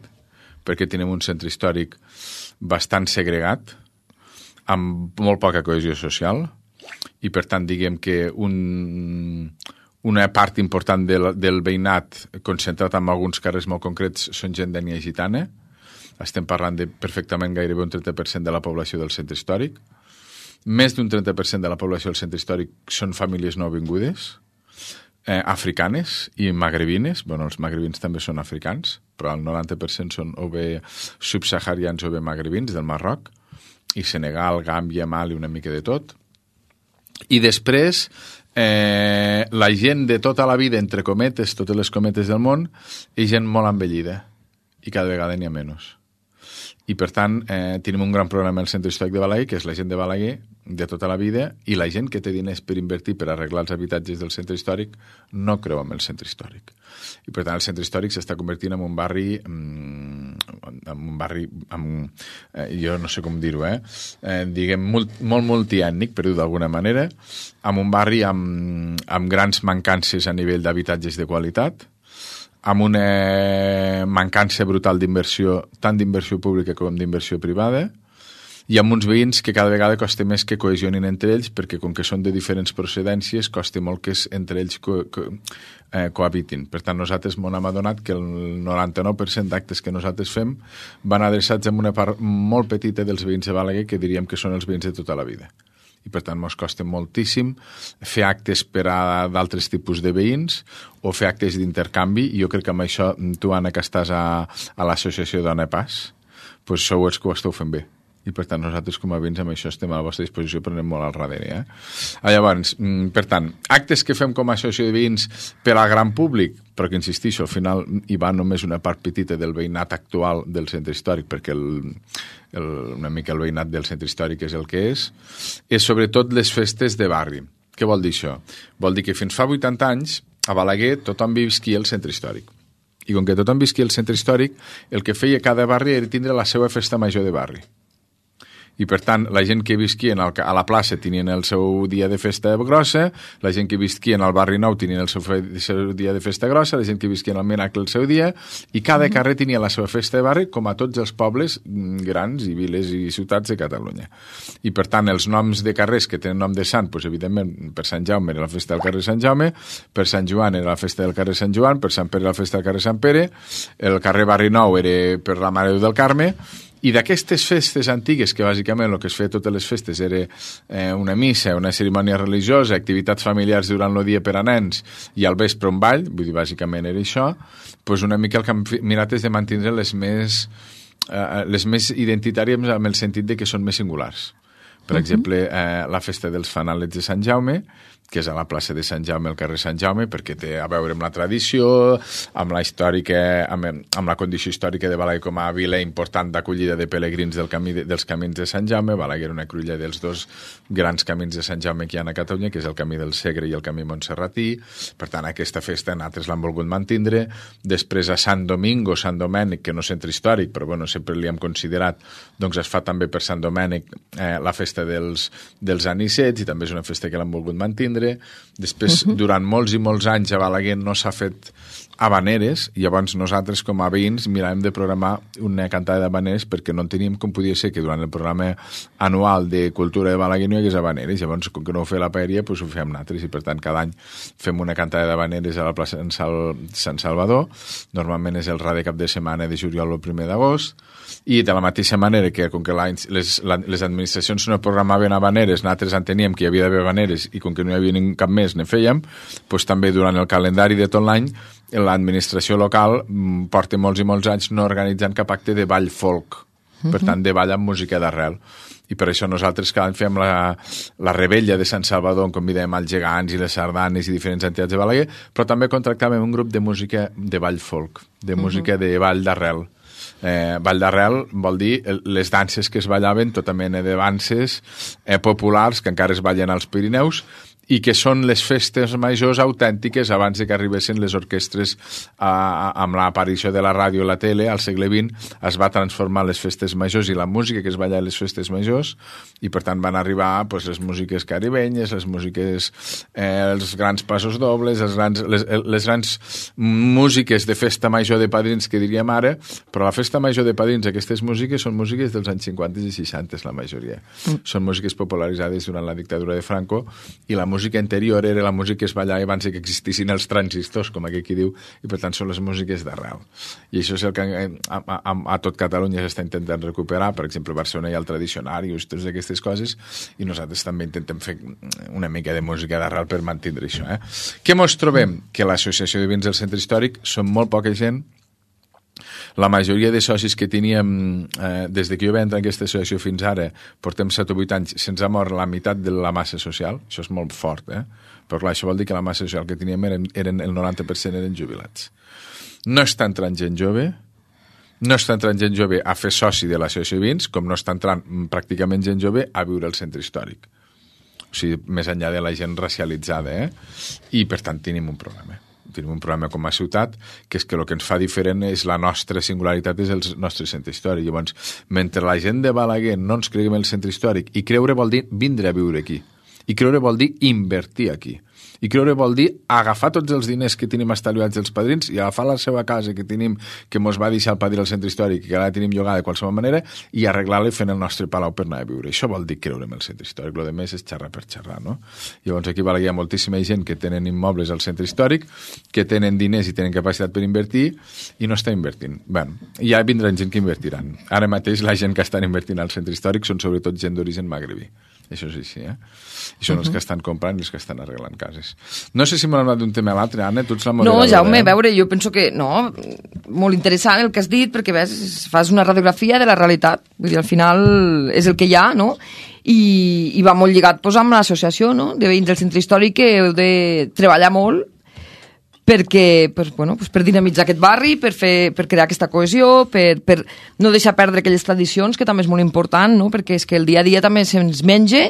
S10: perquè tenim un centre històric bastant segregat, amb molt poca cohesió social, i per tant diguem que una part important del veïnat concentrat en alguns carrers molt concrets són gent d'ètnia gitana. Estem parlant de perfectament gairebé un 30% de la població del centre històric. Més d'un 30% de la població del centre històric són famílies nouvingudes, africanes i magrebines. Bueno, els magrebins també són africans, però el 90% són o bé subsaharians o bé magrebins del Marroc, i Senegal, Gàmbia, Mali, una mica de tot. I després, la gent de tota la vida, entre cometes, totes les cometes del món, és gent molt envellida, i cada vegada n'hi ha menys. I, per tant, tenim un gran programa al Centre Històric de Balaguer, que és la gent de Balaguer de tota la vida, i la gent que té diners per invertir per arreglar els habitatges del Centre Històric no creu en el Centre Històric. I, per tant, el Centre Històric s'està convertint en un barri, jo no sé com dir-ho, diguem, molt multiètnic, per dir-ho d'alguna manera, amb un barri amb grans mancances a nivell d'habitatges de qualitat, amb una mancança brutal d'inversió, tant d'inversió pública com d'inversió privada, i amb uns veïns que cada vegada costa més que cohesionin entre ells, perquè com que són de diferents procedències, costa molt que entre ells cohabitin. Per tant, nosaltres m'ho hem adonat que el 99% d'actes que nosaltres fem van adreçats a una part molt petita dels veïns de Balaguer, que diríem que són els veïns de tota la vida. I, per tant, ens costa moltíssim fer actes per a d'altres tipus de veïns o fer actes d'intercanvi, i jo crec que amb això tu, Anna, que estàs a l'associació Dona Pas, doncs sou els que ho esteu fent bé. I, per tant, nosaltres com a veïns amb això estem a la vostra disposició, però anem molt al darrere. Llavors, per tant, actes que fem com a associació de veïns per al gran públic, però que, insistixo, al final hi va només una part petita del veïnat actual del centre històric, perquè una mica el veïnat del centre històric és el que és sobretot les festes de barri. Què vol dir això? Vol dir que fins fa 80 anys a Balaguer tothom visquia al centre històric. I com que tothom visquia al centre històric, el que feia cada barri era tindre la seva festa major de barri. I, per tant, la gent que visquien a la plaça tenien el seu dia de festa grossa, la gent que visquien al barri nou tenien el seu dia de festa grossa, la gent que visquien al Miracle el seu dia, i cada carrer tenia la seva festa de barri, com a tots els pobles grans i viles i ciutats de Catalunya. I, per tant, els noms de carrers que tenen nom de sant, doncs, evidentment, per Sant Jaume era la festa del carrer Sant Jaume, per Sant Joan era la festa del carrer Sant Joan, per Sant Pere era la festa del carrer Sant Pere, el carrer Barri Nou era per la Mare de Déu del Carme, i d'aquestes festes antigues, que bàsicament el que es feia totes les festes era una missa, una cerimònia religiosa, activitats familiars durant el dia per a nens i al vespre un ball, vull dir, bàsicament era això, doncs una mica el que hem mirat és de mantenir les més identitàries en el sentit de que són més singulars. Per exemple, la festa dels fanalets de Sant Jaume, que és a la plaça de Sant Jaume, al carrer Sant Jaume, perquè té a veure amb la tradició, amb la condició històrica de Balaguer com a vila important d'acollida de pelegrins dels camins de Sant Jaume. Balaguer era una cruïlla dels dos grans camins de Sant Jaume que hi ha a Catalunya, que és el camí del Segre i el camí montserratí. Per tant, aquesta festa nosaltres l'hem volgut mantindre. Després a Sant Domingo, Sant Domènec, que no és centre històric, però bueno, sempre li hem considerat, doncs es fa també per Sant Domènec la festa dels anicets, i també és una festa que l'hem volgut mantindre. Després, durant molts i molts anys a Balaguer no s'ha fet habaneres, i llavors nosaltres com a veïns miràvem de programar una cantada d'habaneres perquè no teníem com podia ser que durant el programa anual de cultura de Balaguer no hi hagués habaneres. Llavors, com que no ho feia la paeria, doncs ho fem nosaltres, i per tant cada any fem una cantada d'habaneres a la plaça Sant Salvador. Normalment és el rar de cap de setmana de juliol o el 1 d'agost, i de la mateixa manera que com que les administracions no programaven habaneres, nosaltres enteníem que hi havia d'haver habaneres, i com que no hi havia cap més ne fèiem, doncs també durant el calendari de tot l'any l'administració local porta molts i molts anys no organitzant cap acte de ball folk, per tant de ball amb música d'arrel. I per això nosaltres cada any fem la rebella de Sant Salvador, on convidem els gegants i les sardanes i diferents entitats de Balaguer, però també contractàvem un grup de música de ball folk, de música de ball d'arrel. Ball d'arrel vol dir les danses que es ballaven, tota mena de danses populars que encara es ballen als Pirineus, i que són les festes majors autèntiques abans de que arribessin les orquestres amb l'aparició de la ràdio i la tele al segle XX. Es va transformar les festes majors i la música que es balla a les festes majors, i per tant van arribar pues, les músiques caribenyes, les músiques, els grans passos dobles, les grans músiques de festa major de padrins, que diríem ara, però la festa major de padrins, aquestes músiques són músiques dels anys 50 i 60, la majoria. Són músiques popularitzades durant la dictadura de Franco, i la música anterior era la música que es ballava abans que existissin els transistors, com aquell qui diu, i per tant són les músiques d'arrel. I això és el que a tot Catalunya s'està intentant recuperar. Per exemple, a Barcelona hi ha el tradicionari, totes aquestes coses, i nosaltres també intentem fer una mica de música d'arrel per mantenir això. Què mos trobem? Que l'associació de veïns del centre històric són molt poca gent. La majoria de socis que teníem des que jo vaig entrar en aquesta associació fins ara, portem 7 o 8 anys, se'ns ha mort la meitat de la massa social. Això és molt fort, però clar, això vol dir que la massa social que teníem eren el 90% eren jubilats. No està entrant gent jove, no està entrant gent jove a fer soci de l'associació de veïns, com no està entrant pràcticament gent jove a viure al centre històric. O sigui, més enllà de la gent racialitzada, i per tant tenim un problema. Tenim un problema com a ciutat, que és que el que ens fa diferent és la nostra singularitat, és el nostre centre històric. Llavors, mentre la gent de Balaguer no ens creguem el centre històric, i creure vol dir vindre a viure aquí, i creure vol dir invertir aquí, i creure vol dir agafar tots els diners que tenim estalviats dels padrins i agafar la seva casa que tenim, que mos va deixar el padrí al centre històric, que ara la tenim llogada de qualsevol manera, i arreglar-la i fent el nostre palau per anar a viure. Això vol dir creure en el centre històric. Lo de més és xerrar per xerrar, no? Llavors aquí hi ha moltíssima gent que tenen immobles al centre històric, que tenen diners i tenen capacitat per invertir i no està invertint. Bé, ja vindran gent que invertiran. Ara mateix la gent que estan invertint al centre històric són sobretot gent d'origen magrebí. Això és així, I són els que estan comprant i els que estan arreglant cases. No sé si m'ho anat d'un tema a l'altre, Anna, tu ets la moderadora.
S2: No, Jaume, a veure, jo penso que no, molt interessant el que has dit, perquè ves, fas una radiografia de la realitat, vull dir, al final és el que hi ha, no? I va molt lligat pues, amb l'associació, no?, de veïns del centre històric, que heu de treballar molt perquè, pues, bueno, pues, per dinamitzar aquest barri, per crear aquesta cohesió, per no deixar perdre aquelles tradicions, que també és molt important, no?, perquè és que el dia a dia també se'ns menja,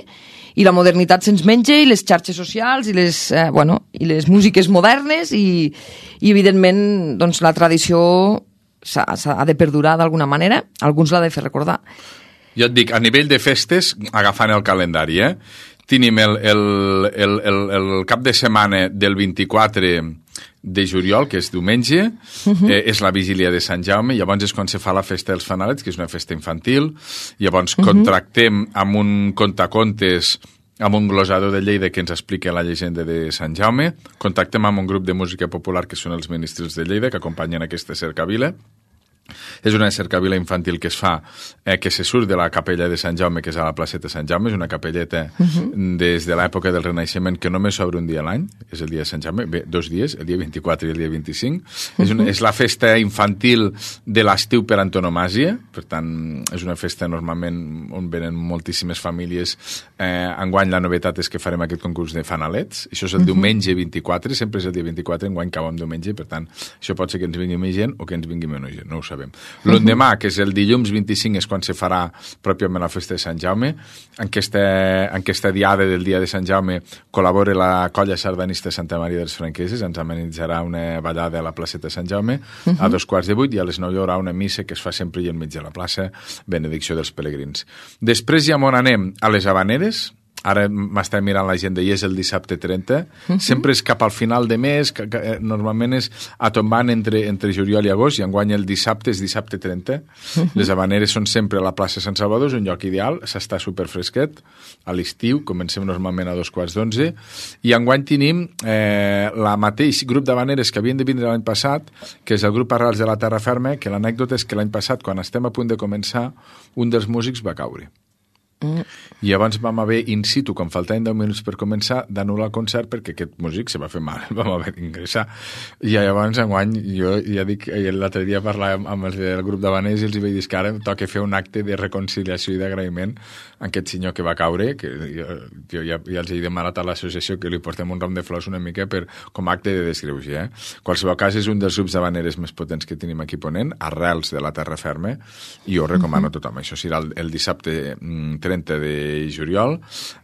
S2: i la modernitat se'ns menja, i les xarxes socials, i les músiques modernes, i evidentment doncs, la tradició s'ha de perdurar d'alguna manera, alguns l'ha de fer recordar.
S10: Jo et dic, a nivell de festes, agafant el calendari, tenim el cap de setmana del 24 de juliol, que és diumenge, és la vigília de Sant Jaume, llavors és quan se fa la festa dels fanalets, que és una festa infantil, llavors contractem amb un contacontes, amb un glosador de Lleida que ens explica la llegenda de Sant Jaume, contactem amb un grup de música popular que són els ministres de Lleida, que acompanyen aquesta cercavila. És una cercavila infantil que es fa, que se surt de la capella de Sant Jaume, que és a la placeta Sant Jaume, és una capelleta des de l'època del Renaixement que només s'obre un dia a l'any, és el dia de Sant Jaume, bé, 2 dies, el dia 24 i el dia 25. És la festa infantil de l'estiu per antonomàsia, per tant, és una festa normalment on venen moltíssimes famílies. Enguany la novetat és que farem aquest concurs de fanalets, això és el diumenge 24, sempre és el dia 24, enguany cau en diumenge, per tant, això pot ser que ens vingui més gent o que ens vingui menys gent, no ho sabem. L'endemà, que és el dilluns 25, és quan se farà pròpiament la festa de Sant Jaume. En aquesta diada del dia de Sant Jaume col·labora la colla sardanista Santa Maria dels Franqueses, ens amenitzarà una ballada a la placeta de Sant Jaume a 7:15 i a les 9 hi haurà una missa que es fa sempre al mig de la plaça, benedicció dels pelegrins. Després ja on anem a les Havaneres. Ara m'està mirant l'agenda i és el dissabte 30. Sempre és cap al final de mes, normalment és a tombant entre juliol i agost, i enguany el dissabte és dissabte 30. Les Havaneres són sempre a la plaça Sant Salvador, és un lloc ideal, s'està superfresquet. A l'estiu comencem normalment a 11:15, i enguany tenim la mateix grup d'Havaneres que havien de vindre l'any passat, que és el grup Arrels de la Terra Ferma, que l'anècdota és que l'any passat, quan estem a punt de començar, un dels músics va caure. I abans vam haver in situ, quan faltaven 10 minuts per començar, d'anul·lar el concert perquè aquest músic se va fer mal, vam haver d'ingressar. I llavors enguany, jo ja dic, l'altre dia parlàvem amb els del grup d'Havaneres i els vaig dir que ara toca fer un acte de reconciliació i d'agraïment a aquest senyor que va caure, que jo ja els he demanat a l'associació que li portem un ram de flors una mica com a acte de desgreuge. Qualsevol cas, és un dels grups d'Havaneres més potents que tenim aquí Ponent, Arrels de la Terra Ferma, i jo recomano a tothom. Això serà el dissabte 30 de juliol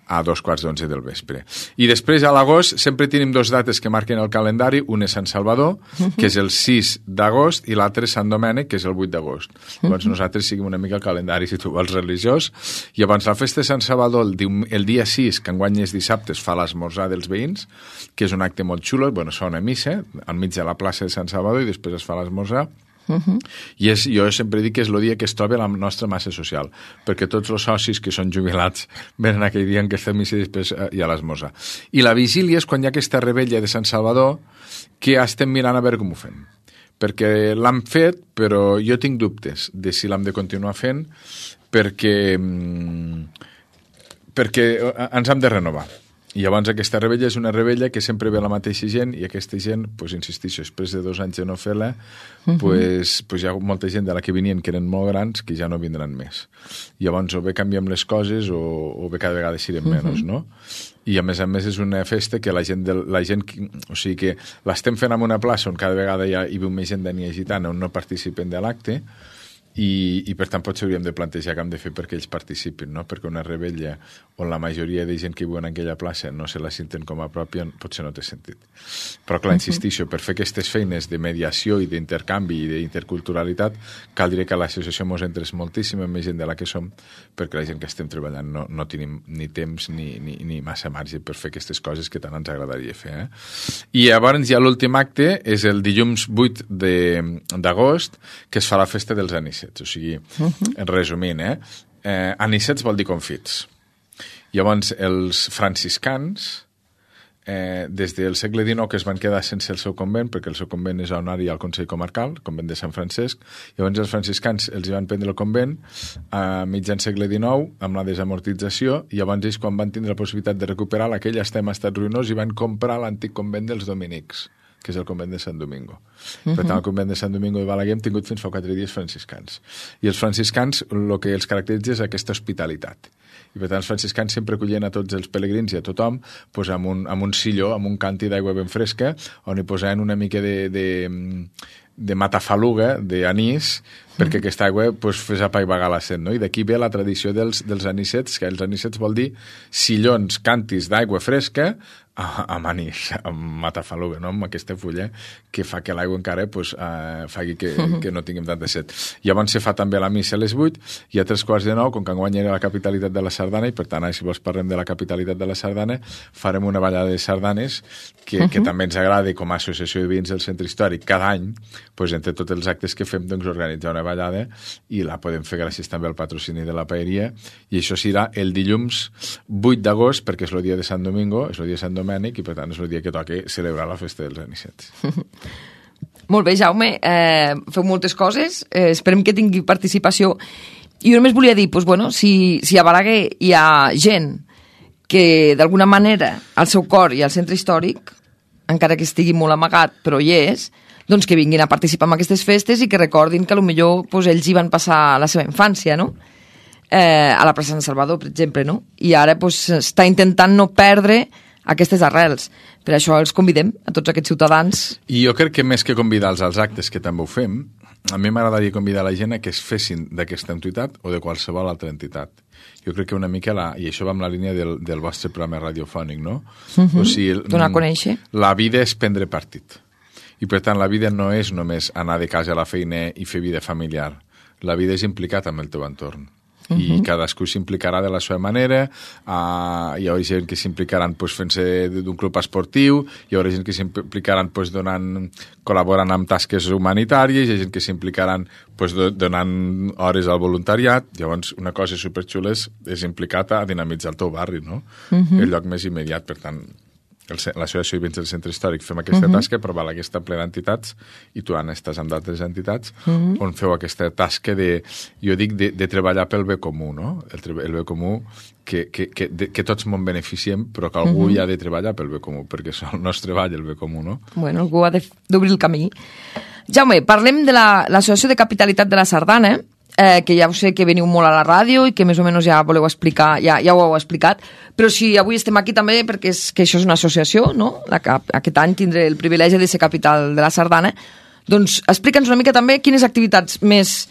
S10: a 11:15 del vespre. I després, a l'agost, sempre tenim 2 dates que marquen el calendari. Un és Sant Salvador, que és el 6 d'agost, i l'altre és Sant Domènec, que és el 8 d'agost. Llavors nosaltres seguim una mica el calendari, si tu vols, religiós. I abans la festa de Sant Salvador, el dia 6, que enguany és dissabte, es fa l'esmorzar dels veïns, que és un acte molt xulo. Bueno, es fa una missa al mig de la plaça de Sant Salvador i després es fa l'esmorzar. I jo sempre dic que és el dia que es troba la nostra massa social, perquè tots els socis que són jubilats venen aquell dia en aquesta missa i després hi ha l'esmorzar. I la vigília és quan hi ha aquesta rebella de Sant Salvador, que estem mirant a veure com ho fem, perquè l'hem fet, però jo tinc dubtes de si l'hem de continuar fent, perquè ens hem de renovar. I llavors aquesta rebella és una rebella que sempre ve la mateixa gent, i aquesta gent, doncs insistixo, després de 2 anys de no fer-la, doncs hi ha molta gent de la que venien que eren molt grans que ja no vindran més. Llavors o bé canviem les coses o bé cada vegada serem menys, no? I a més és una festa que la gent o sigui que l'estem fent en una plaça on cada vegada hi veu més gent d'ètnia gitana on no participen de l'acte, i per tant potser hauríem de plantejar què hem de fer perquè ells participin, no? Perquè una rebella on la majoria de gent que viu en aquella plaça no se la senten com a pròpia, potser no té sentit. Però clar, insistixo, per fer aquestes feines de mediació i d'intercanvi i d'interculturalitat caldria que l'associació mos entrés moltíssima més gent de la que som, perquè la gent que estem treballant no tenim ni temps ni massa marge per fer aquestes coses que tant ens agradaria fer. I llavors ja l'últim acte és el dilluns 8 d'agost, que es fa la festa dels anicets. O sigui, resumint, anicets vol dir confits. Llavors, els franciscans, des del segle XIX, que es van quedar sense el seu convent, perquè el seu convent és on hi ha el Consell Comarcal, el convent de Sant Francesc, llavors els franciscans els van prendre el convent a mitjan segle XIX, amb la desamortització, i llavors ells, quan van tindre la possibilitat de recuperar aquell estem estat ruïnós, i van comprar l'antic convent dels dominics, que és el convent de Sant Domingo. Per tant, el convent de Sant Domingo de Balaguer hem tingut fins fa 4 dies franciscans. I els franciscans, el que els caracteritza és aquesta hospitalitat. I per tant, els franciscans sempre acollien a tots els pelegrins i a tothom doncs, amb un silló, amb un càntir d'aigua ben fresca, on hi posaven una mica de matafaluga, d'anís, perquè aquesta aigua fes apaivagar la set, no? I d'aquí ve la tradició dels anicets, que els anicets vol dir sillons, càntirs d'aigua fresca a Manís, a Matafaluga, no? Amb aquesta fulla que fa que l'aigua encara faci que no tinguem tanta set. Llavors se fa també la missa a les 8 i a 3:15, com que enguany era la capitalitat de la sardana, i per tant, si vols parlem de la capitalitat de la sardana, farem una ballada de sardanes que també ens agrada com a associació de veïns del centre històric. Cada any, entre tots els actes que fem, organitzar una ballada i la podem fer gràcies també al patrocini de la paeria, i això serà el dilluns 8 d'agost, perquè és el dia de Sant Domingo, és el dia de Sant Domènec, i per tant és el dia que toca celebrar la festa dels anisets.
S2: Molt bé, Jaume, feu moltes coses, esperem que tingui participació. I jo només volia dir, si a Balaguer hi ha gent que d'alguna manera al seu cor i al centre històric, encara que estigui molt amagat, però hi és, doncs que vinguin a participar en aquestes festes i que recordin que potser ells hi van passar la seva infància, no? A la plaça Sant Salvador, per exemple, no? I ara està intentant no perdre aquestes arrels. Per això els convidem a tots aquests ciutadans.
S10: I jo crec que més que convidar-los als actes, que també ho fem, a mi m'agradaria convidar la gent a que es fessin d'aquesta entitat o de qualsevol altra entitat. Jo crec que una mica, i això va en la línia del vostre programa radiofònic, no? O sigui,
S2: donar a conèixer.
S10: La vida és prendre partit. I per tant, la vida no és només anar de casa a la feina i fer vida familiar. La vida és implicat amb el teu entorn. I cadascú s'implicarà de la seva manera. Hi haurà gent que s'implicaran fent-se d'un club esportiu, hi haurà gent que s'implicaran col·laborant amb tasques humanitàries, hi ha gent que s'implicaran donant hores al voluntariat. Llavors, una cosa superxula és implicat a dinamitzar el teu barri, no? El lloc més immediat. Per tant, l'associació de veïns del centre històric fem aquesta tasca, però Balaguer està ple d'entitats, i tu, Anna, estàs amb d'altres entitats on feu aquesta tasca de treballar pel bé comú, no? El bé comú que tots me'n beneficiem, però que algú hi ha de treballar pel bé comú, perquè el nostre treball el bé comú, no?
S2: Bueno, algú ha d'obrir el camí. Jaume, parlem de l'Associació de Capitalitat de la Sardana, que ja ho sé que veniu molt a la ràdio i que més o menys ja voleu explicar, ja ho heu explicat, però si avui estem aquí també perquè que això és una associació, no? Aquest any tindré el privilegi de ser capital de la Sardana, doncs explica'ns una mica també quines activitats més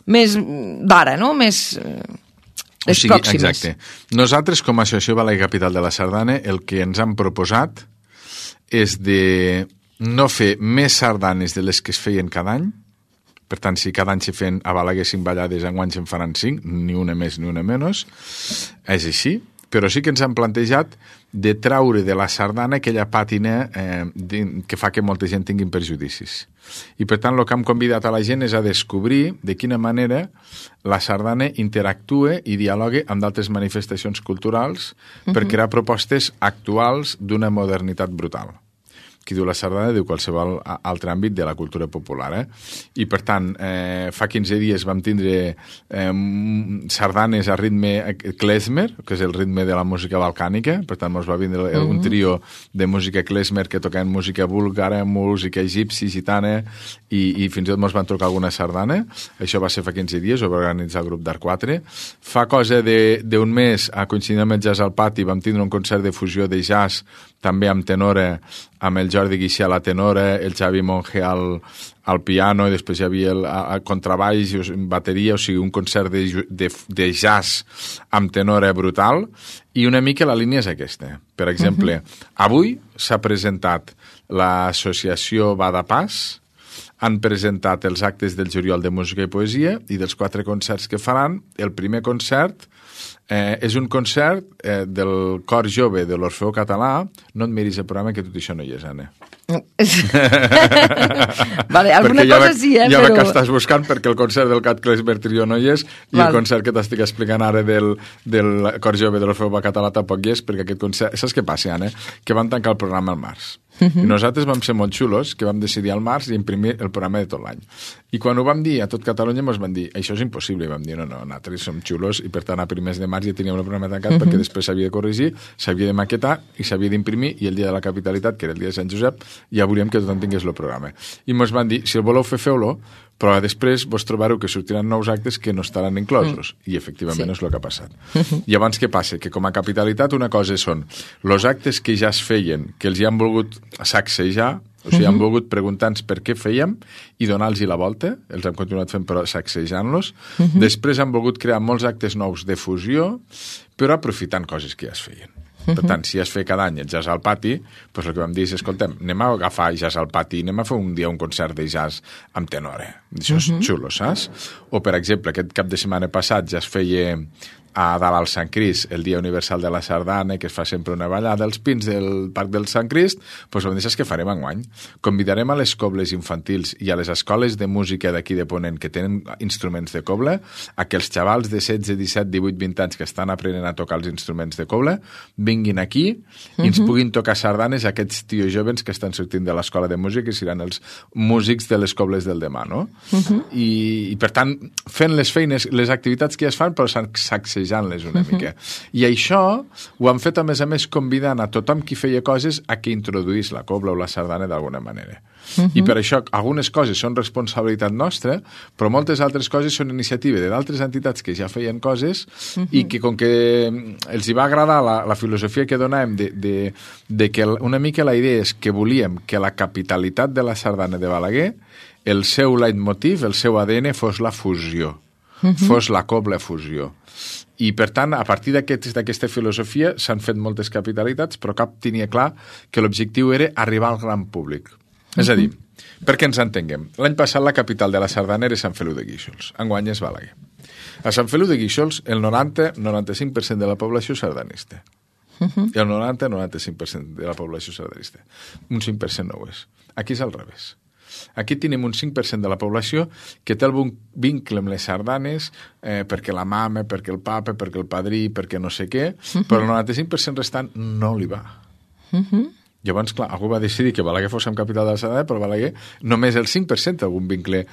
S2: d'ara, no? Més les pròximes.
S10: Exacte. Nosaltres, com a Associació Balaguer Capital de la Sardana, el que ens han proposat és de no fer més sardanes de les que es feien cada any. Per tant, si cada any se feien a Balaguer 5 ballades, enguany se'n faran 5, ni una més ni una menys. És així, però sí que ens han plantejat de traure de la sardana aquella pàtina que fa que molta gent tinguin perjudicis. I per tant, el que hem convidat a la gent és a descobrir de quina manera la sardana interactua i dialoga amb d'altres manifestacions culturals per crear propostes actuals d'una modernitat brutal. Qui diu la sardana diu qualsevol altre àmbit de la cultura popular. I, per tant, fa 15 dies vam tindre sardanes a ritme klezmer, que és el ritme de la música balcànica. Per tant, ens va vindre un trio de música klezmer que tocaven música búlgara, música egipci, gitana, i fins i tot ens van tocar alguna sardana. Això va ser fa 15 dies, ho va organitzar el grup d'Art 4. Fa cosa d'un mes, a coincidir amb el Jazz al Pati, vam tindre un concert de fusió de jazz, també amb tenora, amb el Jordi Guixé a la tenora, el Xavi Monge al piano, i després hi havia el contrabaix, bateria, o sigui, un concert de jazz amb tenora brutal, i una mica la línia és aquesta. Per exemple, avui s'ha presentat l'associació Badapàs, han presentat els actes del juliol de música i poesia, i dels 4 concerts que faran, el primer concert és un concert del cor jove de l'Orfeó Català. No et miris el programa, que tot això no hi és, Anna.
S2: Vale, alguna cosa sí,
S10: ja
S2: però...
S10: que estàs buscant, perquè el concert del Cat Klezmer Trio no hi és, i el concert que t'estic explicant ara del cor jove de l'Orfeó Català tampoc hi és, perquè aquest concert... Saps què passa, Anna? Que van tancar el programa al març. I nosaltres vam ser molt xulos, que vam decidir al març i imprimir el programa de tot l'any. I quan ho vam dir a tot Catalunya ens van dir, això és impossible, i vam dir, no, nosaltres som xulos, i per tant a primers de març ja teníem el programa tancat, perquè després s'havia de corregir, s'havia de maquetar i s'havia d'imprimir, i el dia de la capitalitat, que era el dia de Sant Josep, ja volíem que tothom tingués el programa. I ens van dir, si el voleu fer, feu-lo, però després vos trobareu que sortiran nous actes que no estaran inclosos. I efectivament és el que ha passat. Llavors què passa? Que com a capitalitat una cosa són els actes que ja es feien, que els hi han volgut sacsejar, o sigui, han volgut preguntar-nos per què fèiem i donar-los la volta, els hem continuat fent però sacsejant-los. Després han volgut crear molts actes nous de fusió, però aprofitant coses que ja es feien. Per tant, si es fer cada any el jazz al pati, doncs el que vam dir és, escoltem, anem a agafar jazz al pati, anem a fer un dia un concert de jazz amb tenore. Això és xulo, saps? O, per exemple, aquest cap de setmana passat ja es feia a dalt al Sant Crist, el Dia Universal de la Sardana, que es fa sempre una ballada als pins del Parc del Sant Crist, doncs vam dir que farem enguany. Convidarem a les cobles infantils i a les escoles de música d'aquí de Ponent que tenen instruments de coble, a que els xavals de 16, 17, 18, 20 anys que estan aprenent a tocar els instruments de coble vinguin aquí i ens puguin tocar sardanes a aquests tios joves que estan sortint de l'escola de música i seran els músics de les cobles del demà, no? I per tant, fent les feines, les activitats que ja es fan, però sacsejant-les una mica. I això ho han fet, a més, convidant a tothom qui feia coses a que introduís la cobla o la sardana d'alguna manera. I per això algunes coses són responsabilitat nostra, però moltes altres coses són iniciativa d'altres entitats que ja feien coses i que, com que els hi va agradar la filosofia que donàvem de que una mica la idea és que volíem que la capitalitat de la sardana de Balaguer, el seu leitmotiv, el seu ADN fos la fusió, fos la cobla fusió. I, per tant, a partir d'aquesta filosofia s'han fet moltes capitalitats, però cap tenia clar que l'objectiu era arribar al gran públic. És a dir, perquè ens entenguem, l'any passat la capital de la sardana era Sant Feliu de Guíxols, enguany és Balaguer. A Sant Feliu de Guíxols, el 90-95% de la població és sardanista. I el 90-95% de la població és sardanista. Un 5% no ho és. Aquí és al revés. Aquí tenim un 5% de la població que té algun vincle amb les sardanes perquè la mama, perquè el papa, perquè el padrí, perquè no sé què, però el 95% restant no li va. Llavors, clar, algú va decidir que Balaguer fos amb capital de la sardana, però Balaguer només el 5% algun vincle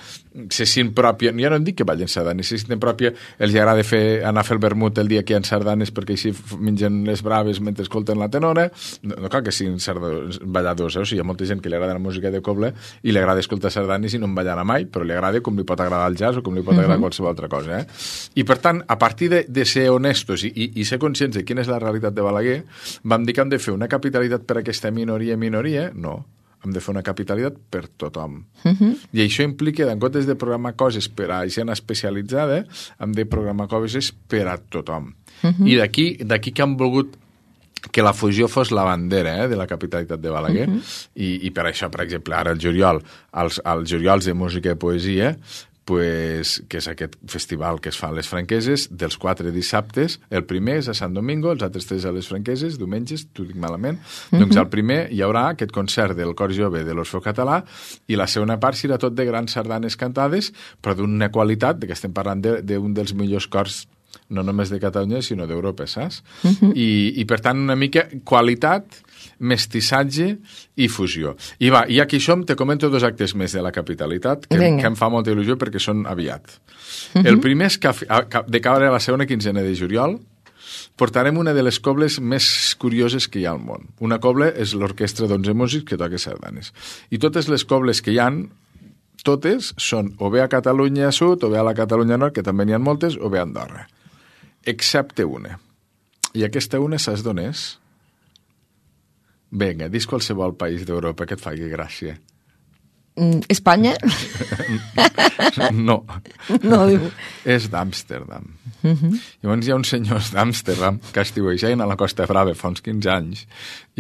S10: se sent pròpia. Ja no em dic que ballin sardanes, se senten pròpia, els agrada anar a fer el vermut el dia que hi ha sardanes perquè així mengen les braves mentre escolten la tenora. No cal que siguin balladors, o sigui, hi ha molta gent que li agrada la música de coble i li agrada escoltar sardanes i no en ballarà mai, però li agrada com li pot agradar el jazz o com li pot agradar qualsevol altra cosa. I, per tant, a partir de ser honestos i ser conscients de quina és la realitat de Balaguer, vam dir que hem de fer una capitalitat per a aquesta minoria, no. Hem de fer una capitalitat per tothom. I això implica, en comptes de programar coses per a gent especialitzada, hem de programar coses per a tothom. I d'aquí que han volgut que la fusió fos la bandera de la capitalitat de Balaguer. I per això, per exemple, ara el juliol, els juliols de música i poesia, que és aquest festival que es fa a les Franqueses, dels 4 dissabtes, el primer és a Sant Domingo, els altres 3 a les Franqueses, diumenges, t'ho dic malament, doncs al primer hi haurà aquest concert del cor jove de l'Orfeo Català i la segona part serà tot de grans sardanes cantades, però d'una qualitat, que estem parlant d'un dels millors cors no només de Catalunya, sinó d'Europa, saps? I per tant, una mica qualitat, mestissatge i fusió. I ja que hi som, te comento 2 actes més de la capitalitat, que em fa molta il·lusió perquè són aviat. El primer és que de caure a la segona quinzena de juliol portarem una de les cobles més curioses que hi ha al món. Una coble és l'orquestra d'11 músics que toca sardanes. I totes les cobles que hi han, totes són o bé a Catalunya Sud, o bé a la Catalunya Nord, que també n'hi ha moltes, o bé a Andorra. Excepte una. I aquesta una saps d'on és? Vinga, dis qualsevol país d'Europa que et faci gràcia.
S2: Espanya?
S10: No.
S2: No, diu.
S10: És d'Amsterdam. Llavors hi ha uns senyors d'Amsterdam que estiuejaven a la Costa Brava fa uns 15 anys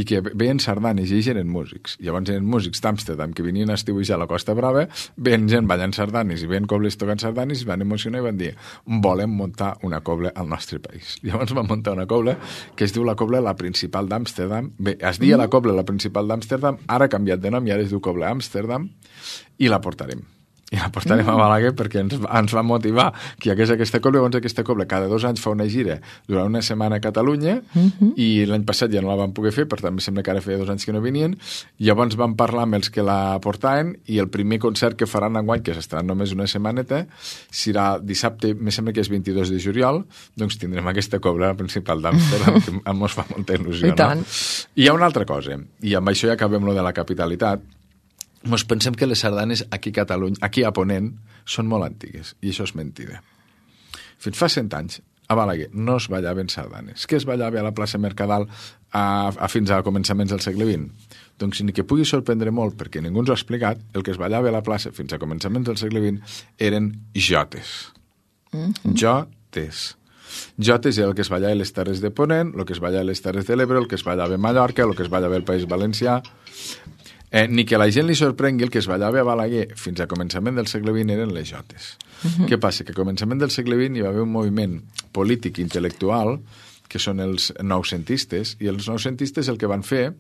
S10: i que veien sardanes i ells eren músics. Llavors eren músics d'Amsterdam que venien a estiuejar a la Costa Brava, veien gent ballant sardanes i veien cobles tocant sardanes i es van emocionar i van dir volem muntar una cobla al nostre país. Llavors van muntar una cobla que es diu la cobla La Principal d'Amsterdam. Bé, es deia la cobla La Principal d'Amsterdam, ara ha canviat de nom i ara es diu Cobla Amsterdam i la portarem. I la portarem a Balaguer perquè ens va motivar que hi hagués aquesta cobla. Llavors aquesta cobla cada 2 anys fa una gira durant una setmana a Catalunya i l'any passat ja no la vam poder fer, per tant em sembla que ara feia 2 anys que no venien. Llavors vam parlar amb els que la portaven i el primer concert que faran enguany, que s'estarà només una setmaneta, serà dissabte, em sembla que és 22 de juliol, doncs tindrem aquesta cobla principal d'Amsterdam que ens fa molta il·lusió. No? I hi ha una altra cosa, i amb això ja acabem lo de la capitalitat. Ens pensem que les sardanes aquí a Catalunya, aquí a Ponent, són molt antigues, i això és mentida. Fins fa 100 anys, a Balaguer no es ballaven sardanes. Què es ballava a la plaça Mercadal fins a començaments del segle XX? Doncs ni que pugui sorprendre molt, perquè ningú ens ho ha explicat, el que es ballava a la plaça fins a començaments del segle XX eren jotes. Jotes. Jotes era el que es ballava a les Terres de Ponent, el que es ballava a les Terres de l'Ebre, el que es ballava a Mallorca, el que es ballava al País Valencià. Ni que la gent li sorprengui, el que es ballava a Balaguer fins a començament del segle XX eren les jotes. Què passa? Que a començament del segle XX hi va haver un moviment polític i intel·lectual que són els noucentistes, i els noucentistes el que van fer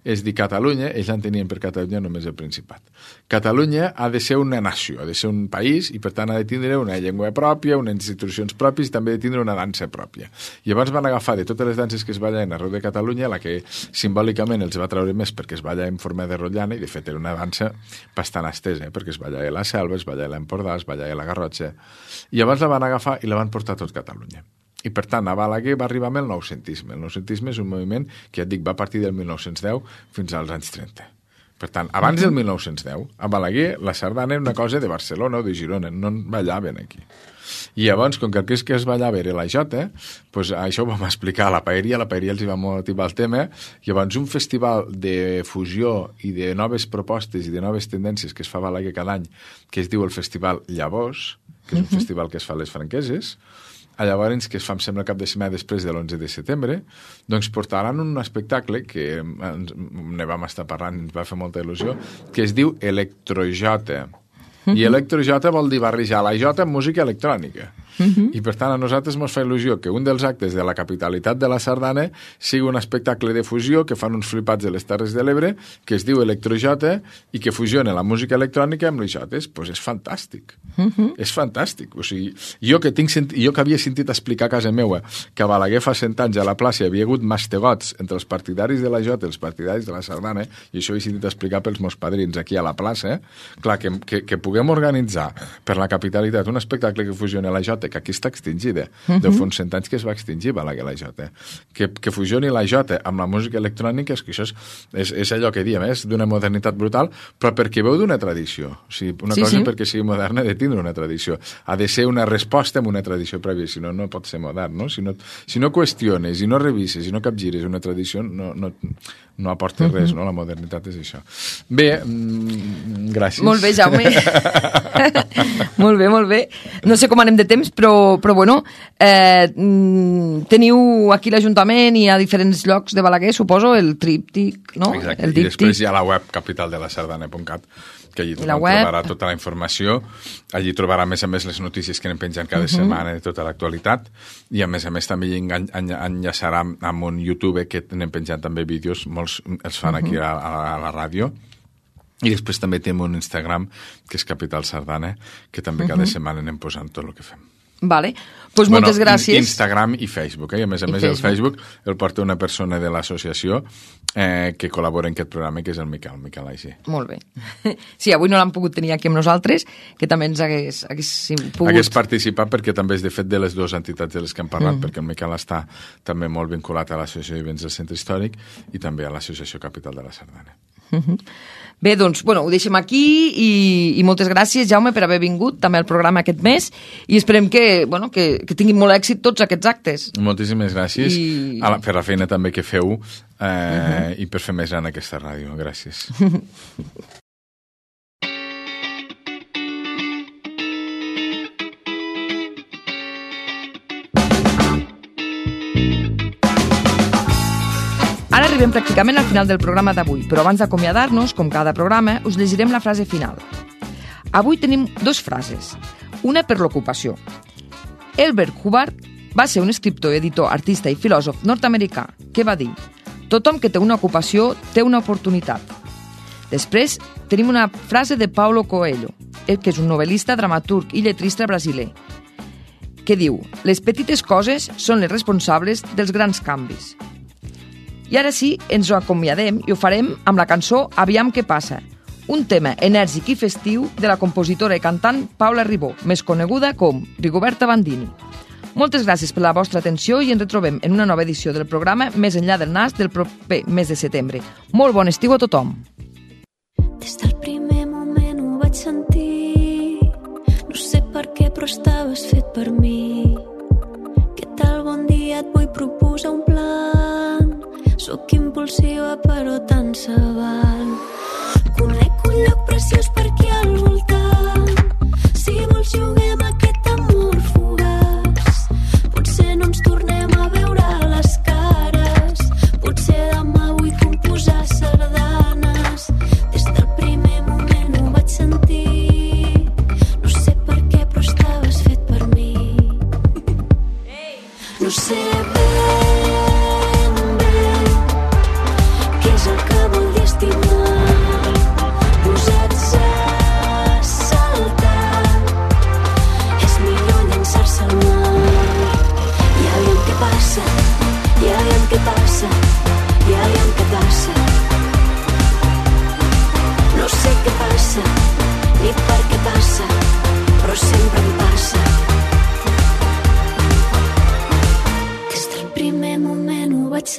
S10: és dir Catalunya, ells entenien per Catalunya només el Principat. Catalunya ha de ser una nació, ha de ser un país, i per tant ha de tindre una llengua pròpia, unes institucions pròpies, i també ha de tindre una dansa pròpia. I llavors van agafar de totes les danses que es ballaven arreu de Catalunya, la que simbòlicament els va treure més perquè es balla en forma de rotllana, i de fet era una dansa bastant estesa, perquè es ballava a la Selva, es ballava a l'Empordà, es ballava a la Garrotxa, i llavors la van agafar i la van portar a tot Catalunya. I, per tant, a Balaguer va arribar amb el noucentisme. El noucentisme és un moviment que, ja et dic, va partir del 1910 fins als anys 30. Per tant, abans del 1910, a Balaguer, la sardana era una cosa de Barcelona o de Girona, no ballaven aquí. I llavors, com que el que es ballava era la jota, doncs això ho vam explicar a la paeria els hi va motivar el tema, llavors un festival de fusió i de noves propostes i de noves tendències que es fa a Balaguer cada any, que es diu el Festival Llavors, que és un festival que es fa a les Franqueses, llavors, que es fa, em sembla, cap de setmana després de l'11 de setembre, doncs portaran un espectacle que ne vam estar parlant, ens va fer molta il·lusió, que es diu Electrojota. I electrojota vol dir barrejar la jota amb música electrònica. I per tant a nosaltres ens fa il·lusió que un dels actes de la capitalitat de la sardana sigui un espectacle de fusió que fan uns flipats de les Terres de l'Ebre que es diu Electrojota i que fusiona la música electrònica amb les jotes. Doncs és fantàstic. És fantàstic. O sigui, jo que havia sentit explicar a casa meua que a Balaguer fa 100 anys a la plaça hi havia hagut mastegots entre els partidaris de la jota i els partidaris de la sardana, i això ho he sentit explicar pels meus padrins aquí a la plaça, clar, que puguem organitzar per la capitalitat un espectacle que fusioni la jota, que aquí està extingida. Deu fa uns 100 anys que es va extingir Balaguer la jota. Que fusioni la jota amb la música electrònica, és que això és allò que diem, és d'una modernitat brutal, però perquè veu d'una tradició. O sigui, una cosa perquè sigui moderna ha de tindre una tradició. Ha de ser una resposta amb una tradició prèvia, si no, no pot ser modern, no? Si no qüestiones, i no revises, i no capgires una tradició, no aporta res, no? La modernitat és això. Bé, gràcies.
S2: Molt bé, Jaume. Molt bé. No sé com anem de temps, però bueno, teniu aquí l'Ajuntament i a diferents llocs de Balaguer, suposo, el tríptic, no?
S10: Exacte, i després hi ha la web capitaldelasardana.cat, que allí trobarà tota la informació, allí trobarà a més les notícies que anem penjant cada setmana de tota l'actualitat, i a més també enllaçarà amb un YouTube que anem penjant també vídeos, molts els fan aquí a la ràdio. I després també tenim un Instagram, que és Capital Sardana, que també cada setmana anem posant tot el que fem.
S2: Vale, doncs moltes gràcies.
S10: Instagram i Facebook, i a més el Facebook el porta una persona de l'associació que col·labora en aquest programa, que és el Miquel Aigé.
S2: Molt bé. Sí, avui no l'han pogut tenir aquí amb nosaltres, que també ens hagués pogut...
S10: Hagués participat, perquè també és de fet de les dues entitats de les que hem parlat, perquè el Miquel està també molt vinculat a l'Associació de Vivents del Centre Històric i també a l'Associació Capital de la Sardana.
S2: Bé, doncs, ho deixem aquí i moltes gràcies, Jaume, per haver vingut també al programa aquest mes, i esperem que tinguin molt èxit tots aquests actes.
S10: Moltíssimes gràcies per la feina també que feu i per fer més gran aquesta ràdio. Gràcies.
S2: Ara arribem pràcticament al final del programa d'avui, però abans d'acomiadar-nos, com cada programa, us llegirem la frase final. Avui tenim dues frases, una per l'ocupació. Elbert Hubbard va ser un escriptor, editor, artista i filòsof nord-americà que va dir: tothom que té una ocupació té una oportunitat. Després tenim una frase de Paulo Coelho, que és un novel·lista, dramaturg i lletrista brasiler, que diu: les petites coses són les responsables dels grans canvis. I ara sí, ens ho acomiadem i ho farem amb la cançó Aviam què passa, un tema enèrgic i festiu de la compositora i cantant Paula Ribó, més coneguda com Rigoberta Bandini. Moltes gràcies per la vostra atenció i ens retrobem en una nova edició del programa Més enllà del nas del proper mes de setembre. Molt bon estiu a tothom!
S11: Des del primer moment ho vaig sentir, no sé per què però estaves fet per mi. Què tal, bon dia, et vull proposar un plan. Sóc impulsiva però tant se val. Conec un lloc preciós per aquí al voltant. Si vols juguem aquest amor fugaç. Potser no en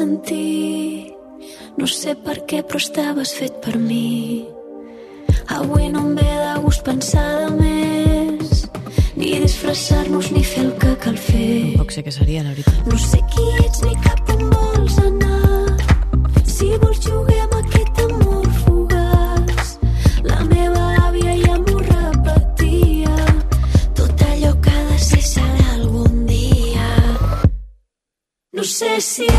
S11: sentir. No sé per què, però estaves fet per mi. Avui no em ve de gust pensar de més, ni disfressar-nos ni fer el que cal fer.
S12: Poc sé què seria, la veritat.
S11: No sé qui ets ni cap on vols anar. Si vols juguem aquest amor fugaç. La meva àvia ja m'ho repetia. Tot allò que ha de ser serà algun dia. No sé si